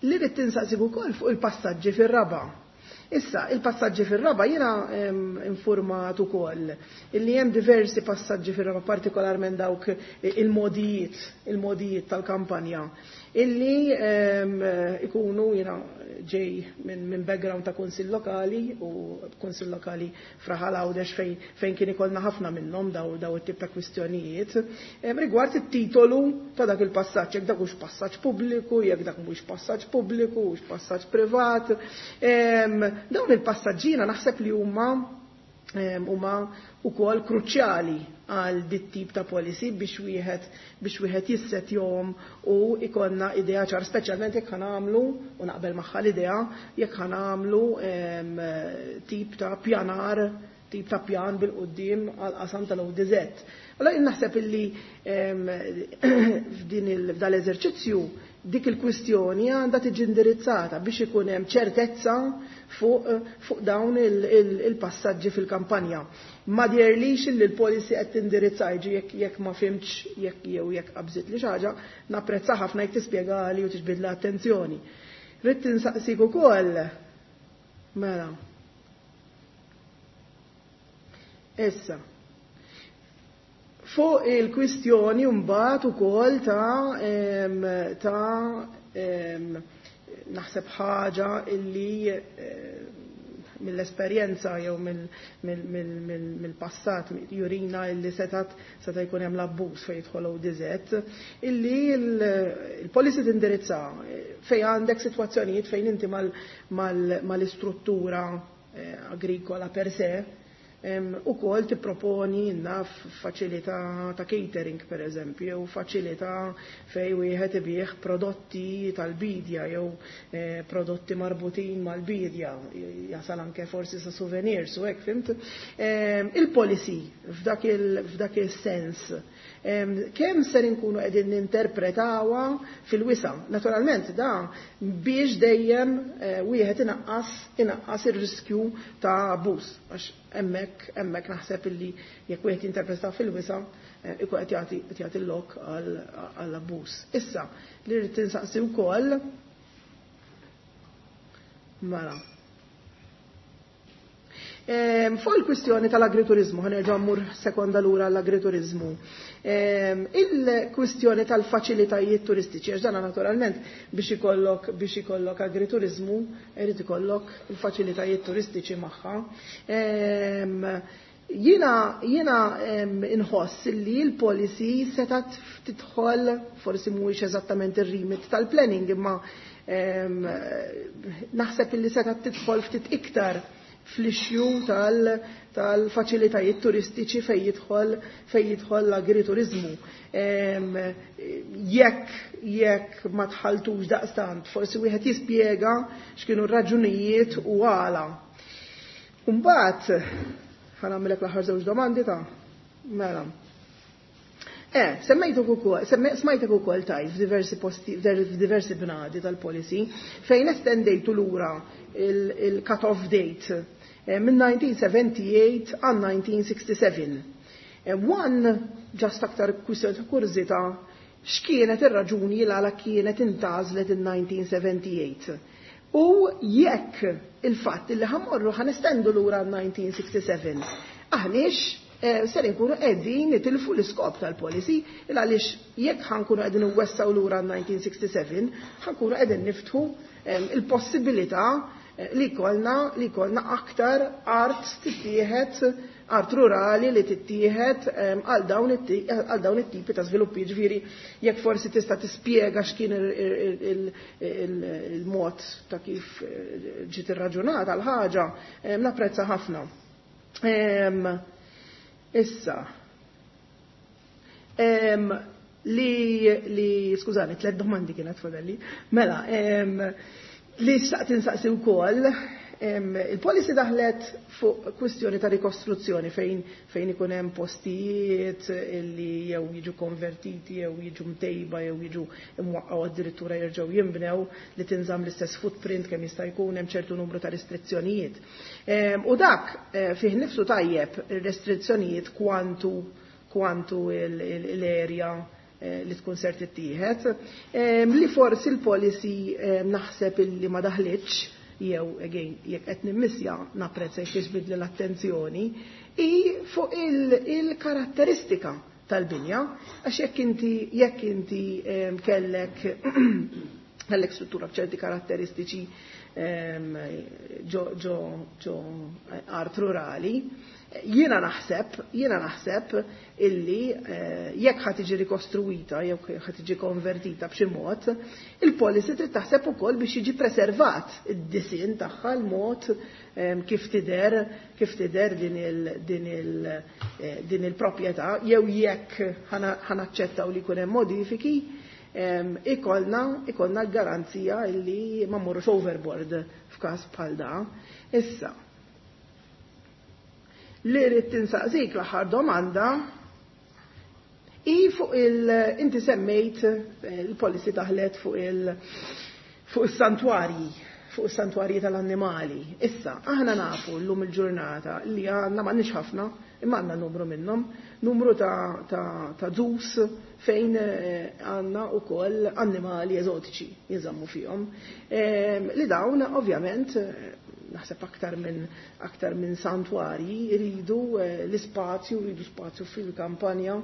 li rrid tinsaqsik ukoll fuq il-passaġġi fir-raba'. Issa, il-passaġġi fir-raba' jiena informat ukoll illi hemm diversi passaġġi fir-raba', partikolarment dawk il-modijiet, il-modijiet tal-kampanja, illi ikunu jiena ġej minn min background ta' kunsill lokali u kunsill lokali fraħal Għawdex fejn fejn kien ikollna ħafna minnhom daw daw it-tip ta' kwistjonijiet rigward it-titolu ta' dak il-passaġġ, jekk dak hux passaġġ pubbliku, jekk dak mhux passaġġ pubbliku, hux passaġġ privat. Dawn il-passaġġina naħseb li huma huma wkoll kruċjali għal dit tip ta' policy biex wieħed biex wieħed jissetjhom u ikonna idea ċar, speċjalment jekk ħanamlu, u naqbel magħha l-idea, jekk ħanamlu tip ta' pjanar, tip ta' pjan bil-qudiem għal qasam tal-O D Z. Allora jien naħseb illi f'din il-, f'dal eżerċizzju dik il-kwistjoni għandha tiġi indirizzata biex ikun hemm ċertezza fuq, fuq dawn il-passaġġi fil-kampanja. Ma djerlix li l-policy qed tindirizza jiġi jekk, jekk ma fimtx jekk jew jekk qabżit li xi ħaġa, napprezza ħafna jekk tispjegali u tiġbidla attenzjoni. Rrid tinsaqsik ukoll. Mela. Issa. Fuq il-kwistjoni mbagħad ukoll ta', em, ta', em, naħseb ħaġa illi, em, mill-esperjenza jew mill-passat jurina illi setat seta' jkun hemm l-abbuż fejn jidħol O D Z, illi il-policy tindirizza fejn għandek sitwazzjonijiet fejn inti mal-istruttura eh, agrikola per se, u kol tipproponi naf faċilità ta' catering per eżempju, jew faċilità fej wieħed ibih prodotti tal-bidja jew, eh, prodotti marbutin mal-bidja, jasal anke forsi sa' souvenirs u hekk, fimt? Em, il-policy f'dak il-, f'dak il-sens, em, kemm ser inkunu qegħdin ninterpretawha fil-wisa'. Naturalment da biex dejjem, eh, wieħed inaqqas, inaqqas ir-riskju ta' abbuż, għax hemmhekk, hemmhekk naħseb illi jekk wieħed jinterpreta fil-wisa', eh, ikun qed jagħti, qed jagħti l-lok għall-abbuż. Issa, li rrid tinsaqsi wkoll mela. Ehm, fuq il-kwistjoni tal-agriturizmu, ħanerġa' mmur sekonda lura għall-agriturizmu. Ehm, il-kwistjoni tal-faċilitajiet turistiċi, għax dana naturalment biex ikollok, biex ikollok agriturizmu, irid ikollok il-faċilitajiet turistiċi magħha. Ehm, Jiena jiena inħoss li l-policy setat tidħol, forsi mhuwiex eżattament ir-remit tal-planning, imma naħseb illi setat tidħol ftit iktar fl-issue tal-faċilitajiet turistiċi fejn jidħol fejn jidħol l-agriturizmu. Jekk jekk ma tħaltux daqstant, forsi wieħed jispjega x'kienu r-raġunijiet u għala. Mbagħad ħa nagħmilek l-aħħar żewġ domandi ta' mela. Eh, semmejtek ukoll, smajtek ukoll tajt f'diversi posti, f'diversi bnadi tal-policy fejn estendejtu lura il-cut-off date minn nineteen seventy-eight għal nineteen sixty-seven. One, just aktar kwistjoni ta' kurżità, x'kienet ir-raġuni l għala kienet intgħażlet in nineteen seventy-eight? U jekk il-fatt li ħa mmorru ħa nestendu lura nineteen sixty-seven, aħniex ser inkunu qegħdin nitilfu l-iskop tal-policy, il għaliex jekk ħa nkunu qegħdin nwessgħu lura nineteen sixty-seven, ħa nkunu qegħdin niftħu il-possibilità li jkollna li jkollna aktar art tittieħed, art rurali li tittieħed għal dawn it-tipi ta' żviluppi. Ġifieri jekk forsi tista' tispjega x'kien il-mod ta' kif ġiet irraġunata l-ħaġa, napprezza ħafna. Issa, li, li, skużani, tliet domandi kienet fadalli, mela, li xtaqt insaqsi wkoll, il-policy daħlet fuq kwistjoni ta' rikostruzzjoni fejn fejn ikun hemm postijiet li jew jiġu konvertiti jew jiġu mtejba jew jiġu imwaqqgħu, addirittura jerġgħu jinbnew, li tinżamm l-istess footprint kemm jista' jkun hemm ċertu numru ta' restrizzjonijiet. U dak fih nifsu tajjeb, ir-restrizzjonijiet kwantu kwantu l-area li tkun ser tittieħed, li forsi l-policy naħseb illi ma daħlitx, jew again jekk qed nimmissja napprezza jekk tiġbidli l-attenzjoni, i fuq il-karatteristika tal-binja, għax jekk inti jekk inti kellek kellek struttura b'ċerti karatteristiċi ġo ġo ġo art rurali, jiena naħseb, jiena naħseb illi jekk ħa tiġi rikostruita jew ħa tiġi konvertita b'xi mod, il-policy trid taħseb ukoll biex jiġi preservat id-disinn tagħha, l-mod kif tidher kif tidher din il din il din il-proprjetà, jew jekk ħa naċċettaw li jkun hemm modifiki, ikollna ikollna l-garanzija illi ma mmorrux overboard f'każ bħal da. Issa, li rrid tinsaqsik l-aħħar domanda i fuq il inti semmejt il-policy daħlet fuq il fuq is-santwarji fuq is-santwarji tal-annimali. Issa, aħna nafu llum il-ġurnata li għandna, m'għandniex ħafna, imma għandna numru minnhom, numru ta' ta' ta' zoos fejn għandna wkoll annimali eżotiċi jinżammu fihom. Li dawn ovvjament naħseb aktar minn aktar minn santwarji jridu l-ispazju, jridu spazju fil-kampanja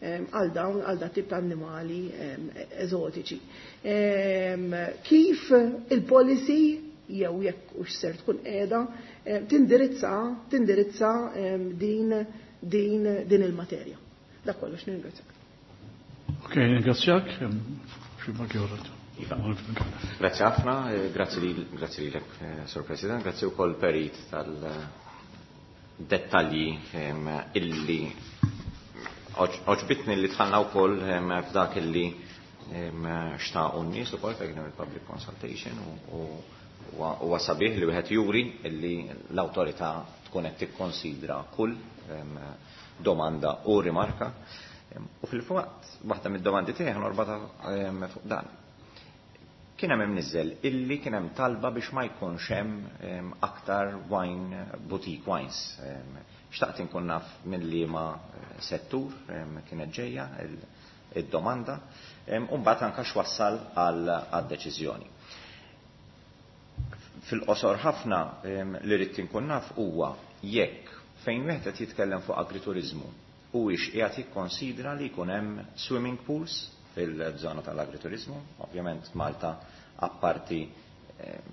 għal dawn għal dat tip ta' annimali eżotiċi. Kif il-policy, jew jekk hux ser tkun qiegħda tindirizza tindirizza din din din il-materja? Dak kollox, ningrazzjak. Ok, ringrazzjak. Iva. Grazzi ħafna, grazzi li grazzi lilek, Sur President, grazzi wkoll Perit tal-dettalji illi għoġbitni li dħalna wkoll f'dak illi xtaqu n-nies ukoll fejn il-public consultation, u huwa sabiħ li wieħed juri illi l-awtorità tkun qed tikkonsidra kull domanda u rimarka. U fil-fatt waħda mid-domandi tiegħi norbotha fuq dan. Kien hemm imniżżel illi kien hemm talba biex ma jkunx hemm aktar wine boutique wines. Xtaqt inkun naf minn liema settur kienet ġejja id-domanda u mbagħad anke x'wassal għad-deċiżjoni. Fil-qosor ħafna, li rrid inkun naf huwa jekk fejn wieħed qed jitkellem fuq agriturizmu huwiex qiegħed jikkonsidra li jkun hemm swimming pools fil-żona tal-agriturizmu. Ovvjament Malta apparti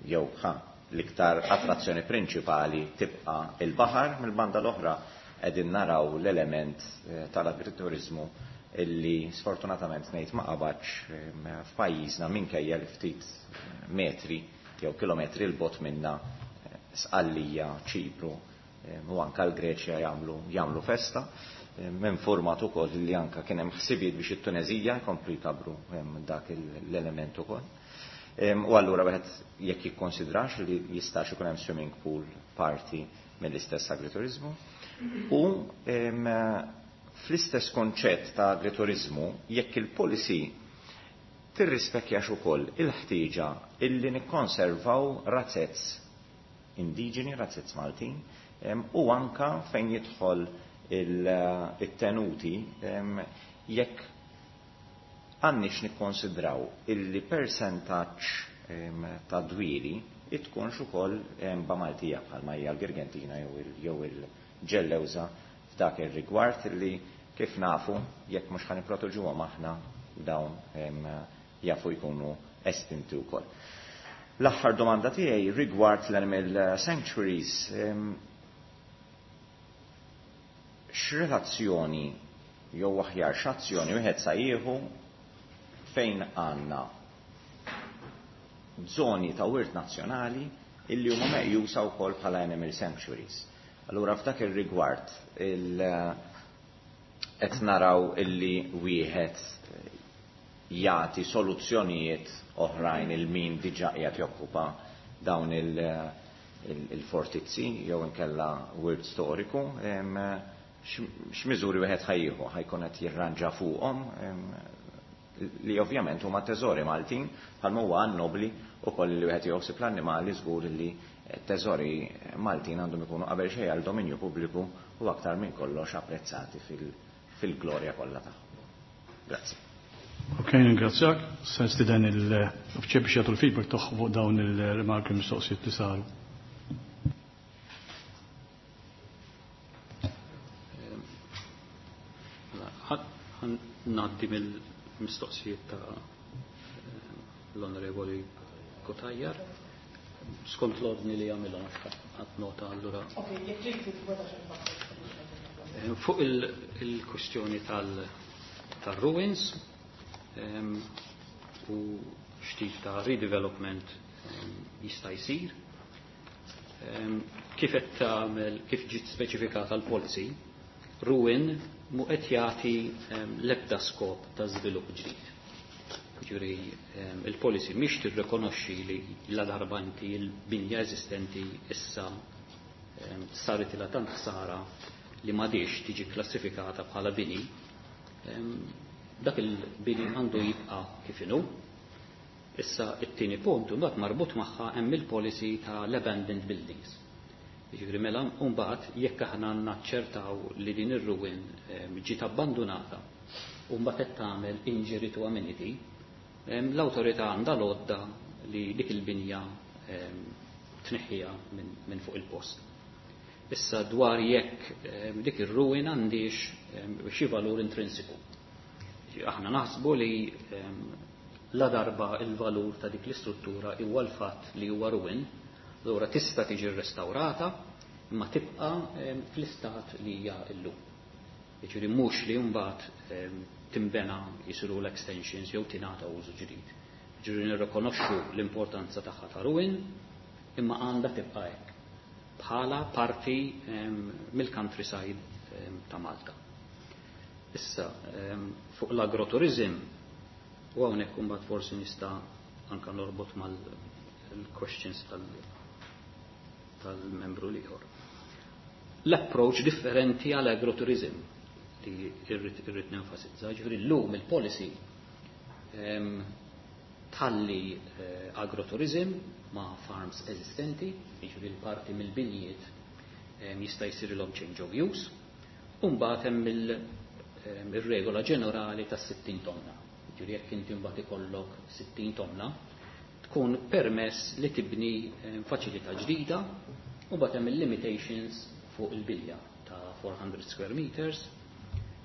jew ħa l-iktar attrazzjoni prinċipali tibqa' il-baħar, mill-banda l-oħra qegħdin naraw l-element tal-agriturizmu illi sfortunatament ngħid ma qabadx f'pajjiżna minkejja li ftit metri jew kilometri 'l bogħod minna Sqallija, Ċipru u anka l-Greċja jagħmlu jagħmlu festa. Informat ukoll li anka kien hemm ħsibijiet biex it-Tunezija jkomplu jkabru dak l-element ukoll. U allura wieħed jekk jikkonsidrax li jistax ikun hemm swimming pool parti mill-istess agriturizmu. U fl-istess konċett ta' agriturizmu, jekk il-policy tirrispekjax ukoll il-ħtieġa illi nikkonservaw razzezz indiġeni, razzezz Maltin, u anka fejn jidħol il-tenuti, jekk għandniex nikkonsidraw illi persentaġġ ta' dwieli tkunx ukoll ba' Maltija bħalma hija l-Girgentina jew il-Ġellewża f'dak ir-rigward li kif nafu jekk mhux ħa nipproteġuhom aħna dawn jafu jkunu estinti wkoll. L-aħħar domanda tiegħi rigward l-animal sanctuaries, x'relazzjoni jew aħjar x'azzjoni wieħed sa jieħu fejn għandna żoni ta' wirt nazzjonali illi huma meqjusa wkoll bħala animal sanctuaries. Allura f'dak ir-rigward il qed naraw illi wieħed jagħti soluzzjonijiet oħrajn il min diġà qiegħed jokkupa dawn il-fortizzi jew inkella wirt storiku, x'miżuri wieħed ħajjieħu ħajkun qed jirranġa fuqhom li ovvjament huma teżori Maltin bħalma huwa nobli ukoll li wieħed joħsib l-annimali żgur li teżori Maltin għandhom ikunu qabel xejn għal dominju pubbliku u aktar minn kollox apprezzati fil-glorja kollha tagħhom. Grazzi. Ok, ringrazzjak. Se nistieden il-uffiċjal biex jagħtu l-feedback tagħhom fuq dawn il-rimarki mistoqsijiet li saru. Ngħaddi mill-mistoqsijiet ta' l-Onorevoli Cutajar. Skont l-ordni li jagħmilhom għax nota allura. Ok, jekk trid Fuq il-kwistjoni tal-ruins u x'tip ta' redevelopment jista' jsir. Kif qed tagħmel, kif ġiet speċifikata l-policy, ruin mu qed jagħti l-ebda skop ta' żvilupp ġdid. Ġifieri il-policy mhix tirrikonoxxi li la darba inti l-binja eżistenti issa saret ilha tant ħsara li m'għadix tiġi klassifikata bħala bini, dak il-bini għandu jibqa' kif inhu. Issa it-tieni punt mbagħad marbut magħha hemm il-policy ta' l-abandoned buildings. Jiġifieri mela mbagħad jekk aħna naċċertaw li din ir-ruin ġiet abbandunata u mbagħad qed tagħmel injury to amenity, l-awtorità għandha l-għodda li dik il-binja tneħħiha minn fuq il-post. Issa dwar jekk dik ir-ruin għandix xi valur intrinsiku. Aħna naħsbu li la darba il-valur ta' dik l-istruttura huwa l-fatt li huwa ruin, allura tista' tiġi rrestawrata imma tibqa' fl-istat li hija llum. Jiġifieri mhux li mbagħad timbena jisiru l-extensions jew tingħata użu ġdid. Jiġifieri nirrikonoxxu l-importanza tagħha ta' ruin imma għandha tibqa' hekk bħala parti mill-countryside ta' Malta. Issa fuq l-agroturizm u hawnhekk imbagħad forsi nista' anke norbot mal-questions tal-membru l-ieħor. L-approach differenti għal agroturizm li irrid nenfasizza, ġifieri llum il-policy tħalli agroturizm ma' farms eżistenti, jiġifieri l-parti mill-binjiet jista' jsirilhom change of use, u mbagħad hemm ir-regola ġenerali tas sittin tonna. Ġifieri jekk inti mbagħad ikollok sittin tonna, tkun permess li tibni faċilità ġdida u mbagħad hemm il-limitations fuq il-bilja ta' four hundred square meters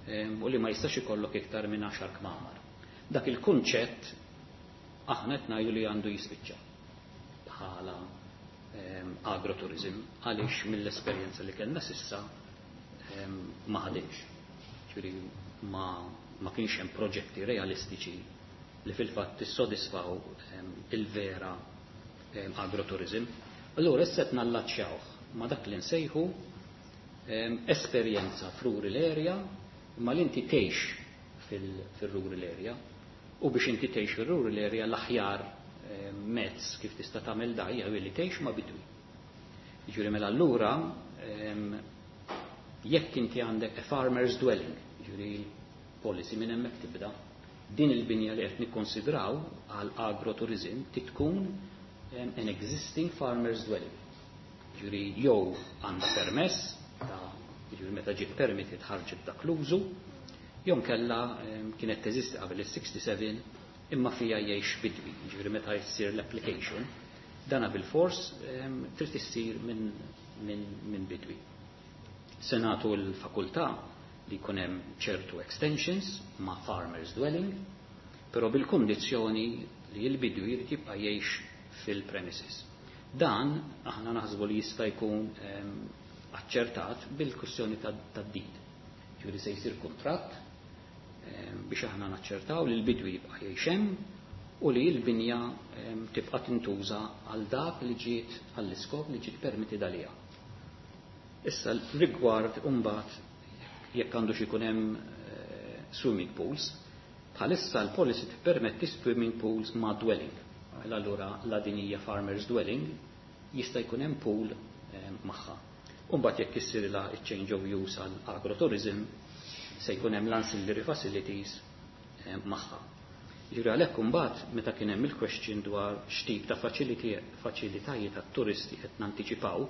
u li ma jistax ikollok iktar minn għaxar kmamar. Dak il-kunċett aħna qed ngħidu li għandu jispiċċa bħala agroturizm għaliex mill-esperjenza li kellna sissa ma ħadimx. Ġifieri ma, ma kienx hemm proġetti realistiċi li fil-fatt tissodisfaw il-vera agrotourism. Allura issa qed nallaċċjawh ma' dak li nsejħu esperjenza f'rural area, imma li inti tgħix fil-rural area, u biex inti tgħix fil-rural area l-aħjar mezz kif tista' tagħmel da hija li tgħix ma' bidwi. Jiġifieri mela allura jekk inti għandek a farmer's dwelling, jiġifieri policy minn hemmhekk tibda, din il-binja li qed nikkonsidraw għal agrotourism tkun an existing farmer's dwelling. Jiġifieri jew għandha permess ta' jiġifieri meta ġiet permitted ħarġet dak l-użu, jew kella kienet teżisti qabel is-sixty-seven imma fija jgħix bidwi, jiġifieri meta jsir l-application, dana bil-fors trid issir minn min, min bidwi. Se nagħtu l-fakultà li jkun hemm ċertu extensions ma' farmer's dwelling, però bil-kondizzjoni li l-bidwi jrid jibqa' jgħix fil-premises. Dan aħna naħsbu li jista' jkun aċċertat bil-kwistjoni tad-deed. Ġifieri se jsir kuntratt biex aħna naċċertaw li l-bidwi jibqa' jgħix hemm u li l-binja tibqa' tintuża għal dak li ġiet għall-iskop li ġiet permitted għaliha. Issa rigward imbagħad jekk għandu xi jkun hemm swimming pools, bħalissa l-policy tippermetti swimming pools ma' dwelling. Mela allura la din hija farmer's dwelling jista' jkun hemm pool magħha. Imbagħad jekk issirilha change of use għal agrotourism se jkun hemm l-ancillary facilities magħha. Ġifieri għalhekk imbagħad meta kien hemm il-question dwar x'tip ta' faċilitajiet tat-turisti qed nantiċipaw,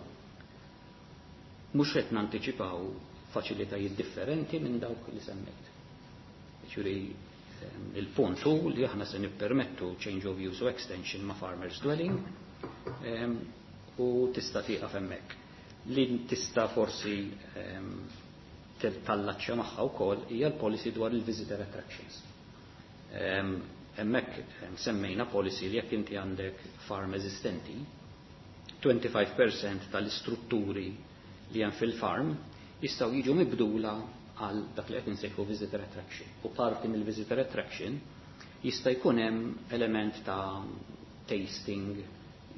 mhux qed nantiċipaw faċilitajiet differenti minn dawk li semmejt. Ġifieri il-punt hu li aħna se nippermettu change of use u extension ma' farmer's dwelling u tista' tieqaf hemmhekk. Li tista' forsi tallaċċja magħha wkoll hija l-policy dwar il-visitor attractions. Hemmhekk semmejna policy li jekk inti għandek farm eżistenti, twenty-five percent tal-istrutturi li hemm fil-farm jistgħu jiġu mibdula għal dak li qed insejħu visitor attraction. U parti mill-visitor attraction jista' jkun hemm element ta' tasting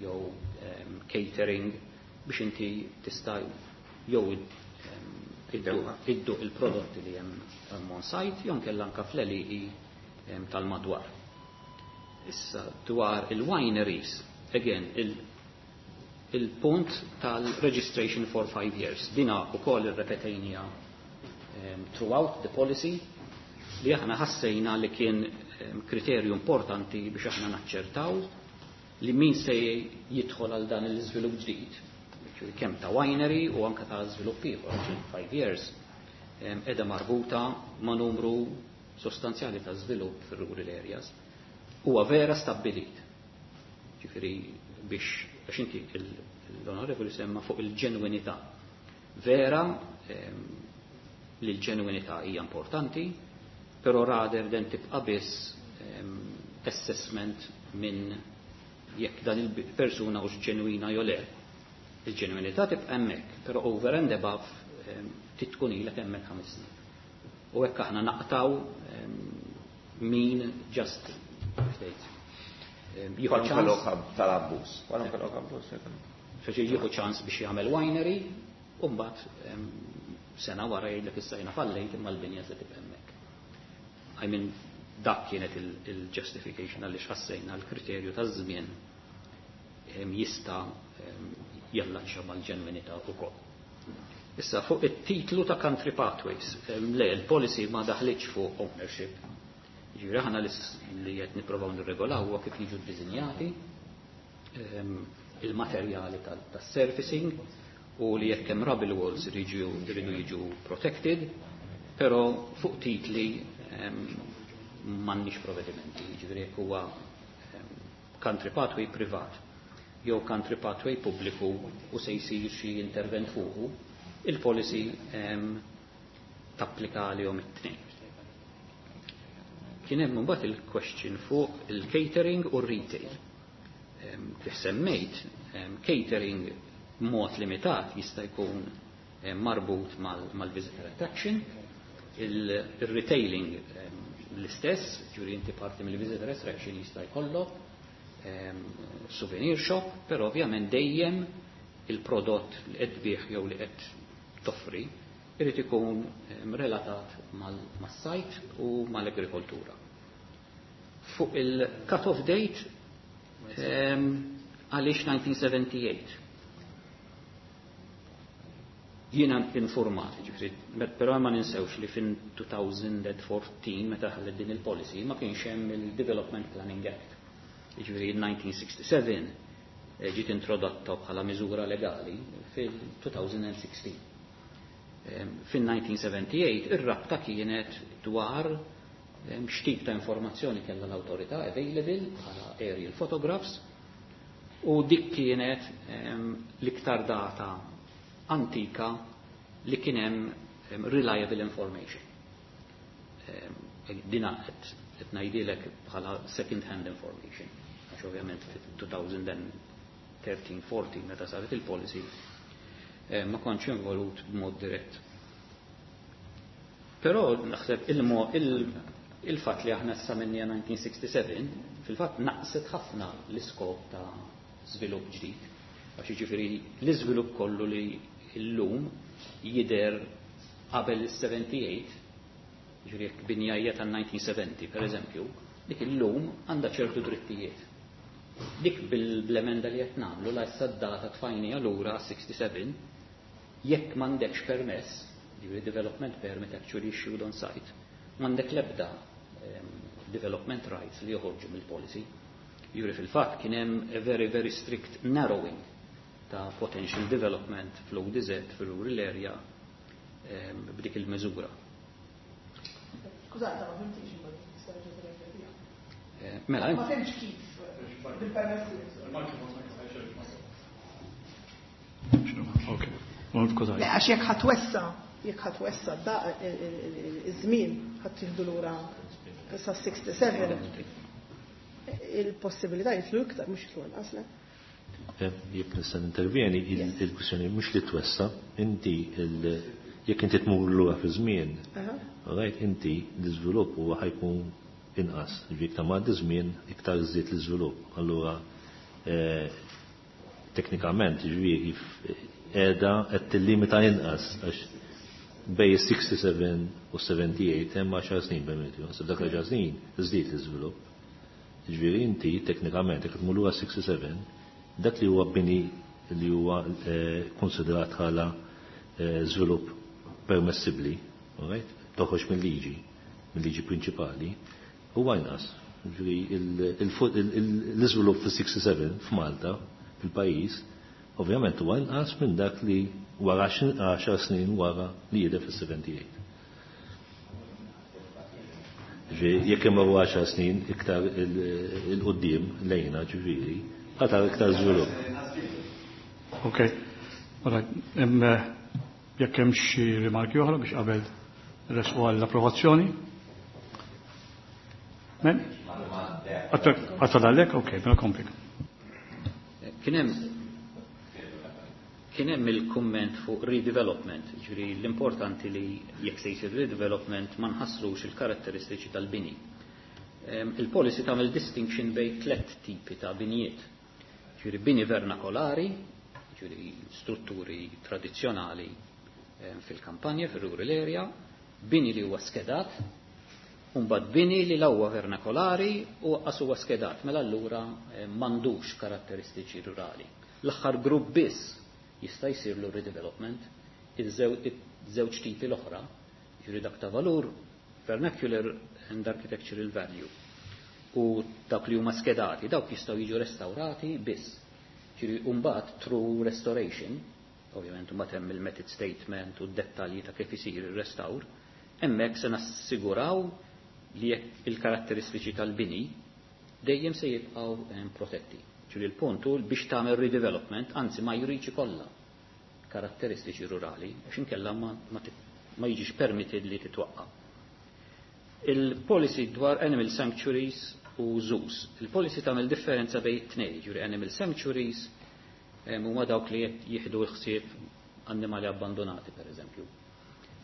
jew um, catering biex inti tista' jew idduq il-prodotti li hemm on site jew nkella anke fl-għelieqi tal-madwar. Issa dwar il-wineries, again, il-punt tal-registration for five years. Dina ukoll irrepetejnieha um, throughout the policy li aħna ħassejna li kien um, kriterju importanti biex aħna naċċertaw li min se jidħol għal dan l-iżvilupp ġdid, kemm ta' winery u anka ta' żvilupp ieħor, five years, qiegħda marbuta ma' numru sostanzjali ta' żvilupp fir-rural areas. Huwa vera stabbilit. Ġifieri biex għax inti l-onorevoli semma fuq il-ġenwinità. Vera li l-ġenwinità hija importanti, però rather than tibqa' biss assessment minn jekk dan il-persuna hux ġenwina jew le. Il-ġenwinità tibqa' hemmhekk, però over and above tkun ilek hemmhekk ħames snin. U hekk aħna naqtaw min just jieħu ċans tal-abbuż. Feċi jieħu ċans biex jagħmel winery, u mbagħad sena wara jgħidlek issa jiena fallejt imma l-binja se tibqa' hemmhekk. I mean, dak kienet il-justification għaliex ħassejna l-kriterju taż-żmien jista' jallaċċa mal-ġenwinità ukoll. Issa fuq it-titlu ta' Country Pathways, le, il-policy ma daħlitx fuq ownership. Ġifieri aħna li qed nippruvaw nirregolaw huwa kif jiġu ddisinjati il-materjali tas-surfacing u li jekk hemm rubble walls jridu jiġu protected, però fuq titli m'għandniex provvedimenti, ġifieri jekk huwa country pathway privat jew country pathway pubbliku u se jsir xi intervent fuqu, il-policy tapplika għalihom it-tnejn. Kien hemm imbagħad il-question fuq il-catering u r-retail. Kif semmejt, catering mod limitat jista' jkun marbut mal-visitor attraction, il-retailing l-istess, ġifieri inti parti mill-visitor attraction jista' jkollok souvenir shop, però ovvjament dejjem il-prodott li qed tbigħ jew li qed toffri irid ikun relatat mas-sajt u mal-agrikoltura. Fuq il-cut-off date, għaliex nineteen seventy-eight? Jiena informat, ġifieri, però ma ninsewx li fin twenty fourteen, meta ħallet din il-policy, ma kienx hemm il-Development Planning Act. Ġifieri nineteen sixty-seven eh, ġiet introdotta bħala miżura legali fil-twenty sixteen. Fin-nineteen seventy-eight ir-rabta kienet dwar x'tip ta' informazzjoni kellha l-awtorità available bħala aerial photographs u dik kienet l-iktar data antika li kien hemm reliable information. Dina qed ngħidilek bħala second hand information. Għax ovvjament fil-twenty thirteen fourteen, meta saret il-policy, ma kontx involut b'mod dirett. Però naħseb il-fatt li aħna issa minnija nineteen sixty-seven fil-fatt naqset ħafna l-iskop ta' żvilupp ġdid. Għax jiġifieri l-iżvilupp kollu li llum jidher qabel il-seventy-eight, ġifieri jekk binja hija tan-nineteen seventy per eżempju, dik illum għandha ċertu drittijiet. Dik bil-emenda li qed nagħmlu la issa d-data tfajnija lura sixty-seven, jekk m'għandekx permess, ġifieri development permit actually issued on site, m'għandek l-ebda development rights li joħorġu mill-policy. Ġifieri fil-fatt kien hemm a very, very strict narrowing ta' potential development fl-O D Z, fil-rural area, b'dik il-miżura. Skużata, ma fhimtix. Eh, mela, ma fhimtx kif bil-permessi. Ok. Għax jekk ħa twessa', jekk ħa twessa' da iż-żmien, ħa tieħdu lura sa sixty-seven, il-possibilità jitlu iktar, mhux jitlu inqas, le? Eh, jekk nista' intervjeni, il-kwistjoni mhux li twessa', inti jekk inti tmur lura fi żmien, right, inti l-iżvilupp huwa ħa jkun inqas. Ġifieri iktar ma żmien iktar żied l-iżvilupp. Allura eh, teknikament ġifieri qiegħda qed tillimita inqas għax bej sixty-seven u seventy-eight hemm għaxar snin bejn. Dak l snin żdied l-iżvilupp. Ġifieri inti teknikament jekk tmur lura sixty-seven, dak li huwa bini li huwa eh, konsiderat bħala eh, żvilupp permessibbli, right? Toħroġ mill-liġi, mill-liġi prinċipali, huwa inqas. L-iżvilupp fis-sixty-seven f'Malta, fil-pajjiż, ovvjament huwa inqas minn dak li wara għaxar snin wara li jidher fis-seventy-eight. Jekk hemm għaxar snin iktar il-qudiem lejna, ġifieri, ħatar iktar żvilupp. Ok. Jekk hemm xi rimarki oħra biex qabel resqu għall-approvazzjoni? Men? Għattadallek? Ok, mela kompli. Kien hemm kien hemm il-kumment fuq redevelopment, ġifieri l-importanti li jekk se jsir redevelopment ma nħassrux il-karatteristiċi tal-bini. Il-policy tagħmel distinction bejn tliet tipi ta' binijiet. Ġifieri bini vernakolari, ġifieri strutturi tradizzjonali fil-kampanja, fil-rural area, bini li huwa skedat, Umbad bini li la huwa vernakolari u lanqas huwa skedat, mela allura m'għandux karatteristiċi rurali. L-aħħar grupp biss jista' jsirlu redevelopment, iż-żewġ tipi l-oħra, ġifieri dak ta' valur, vernacular and architectural value, u dak li huma skedati, dawk jistgħu jiġu restaurati biss. Ġifieri mbagħad through restoration, ovvjament mbagħad hemm il-method statement u d-dettalji ta' kif isir ir-restawr, hemmhekk se nassiguraw li jekk il-karatteristiċi tal-bini dejjem se jibqgħu protetti. Ġifieri l-punt hu biex tagħmel redevelopment, anzi ma jridx ikollha karatteristiċi rurali, għax inkella ma, ma, ma jiġix permitted li titwaqqa. Il-policy dwar animal sanctuaries u zoos. Il-policy tagħmel differenza bejn tnejn, ġifieri animal sanctuaries huma dawk li jieħdu l-ħsieb annimali abbandonati per eżempju.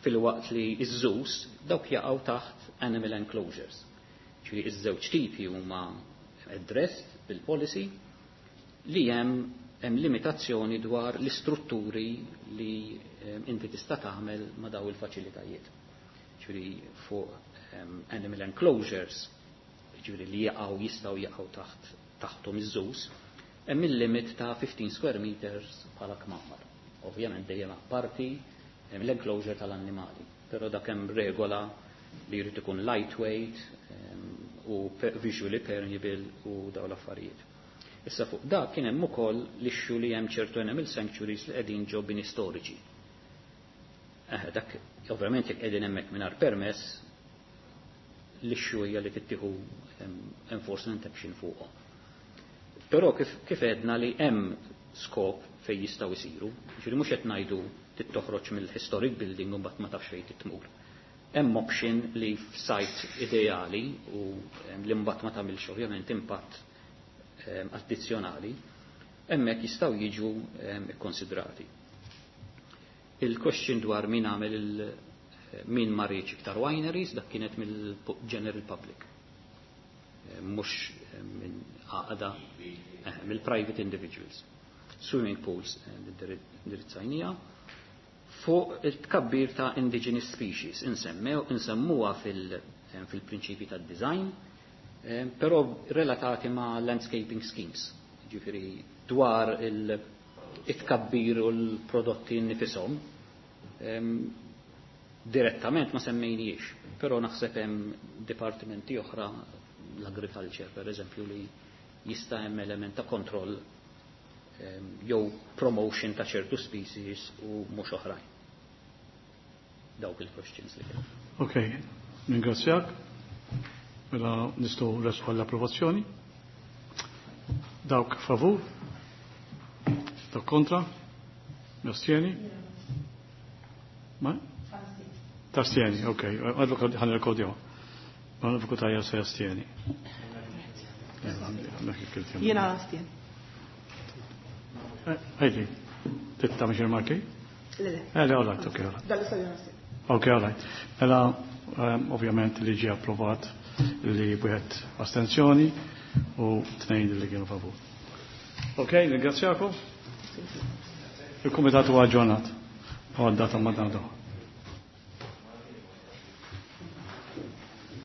Filwaqt li iż-zoos dawk jaqgħu taħt animal enclosures. Ġifieri iż-żewġ tipi huma addressed bil-policy li hemm hemm limitazzjoni dwar l-istrutturi li inti tista' tagħmel ma' daw il-faċilitajiet. Ġifieri fuq animal enclosures, ġifieri li jaqgħu jistgħu jaqgħu taħt taħthom iż-zoos, hemm il-limit ta' fifteen square meters bħala kmamar. Ovvjament dejjem apparti l-enclosure tal-annimali, però dak hemm regola li jrid ikun lightweight u visually permeable u daw l-affarijiet. Issa fuq dak kien hemm ukoll l-issue li hemm ċertu animal sanctuaries li qegħdin ġo bini storiċi. Eh, dak ovvjament jekk qegħdin hemmhekk mingħajr permess, l-issue hija li tittieħu enforcement action fuqhom. Però kif, kif għedna li hemm skop fejn jistgħu jsiru, ġifieri mhux qed ngħidu tittoħroġ mill-historic building u mbagħad ma tafx fejn titmur. Hemm option li f'site ideali u li mbagħad ma tagħmilx ovvjament impatt addizzjonali, hemmhekk jistgħu jiġu ikkonsidrati. Il-question dwar min għamel il min ma riedx iktar wineries, dak kienet mill-general public. Mhux minn għaqda, mill-private individuals. Swimming pools indirizzajnija. Fuq il-tkabbir ta' indigenous species, insemmuha fil-prinċipi tad design, però relatati ma' landscaping schemes, ġifieri dwar il-tkabbir u l-prodotti nifisom, direttament ma semmejniex, però naħseb hemm dipartimenti oħra, l-agriculture per eżempju, li jista' hemm element ta' kontroll jew promotion ta' ċertu species u mhux oħrajn. Dawk il-questions li kien. Ok, ringrazzjak. Mela nistgħu resqu għall-approvazzjoni. Dawk favur? Dawk kontra? Astieni? Ma? Tastieni, ok. Advokat ħan rekodjaw. Ma l-advokat għajja se jastieni. Jiena astien. Ejdi, titta mhux il-marki? Le, le. Eh, le, all right, ok, all right. Dal-istadju astien. Ok, all right. Mela, ovvjament li ġie approvat li wieħed astenzjoni u tnejn li kienu favur. Ok, ringrazzjakom. Il-Kumitat huwa aġġornat. Għal data ma'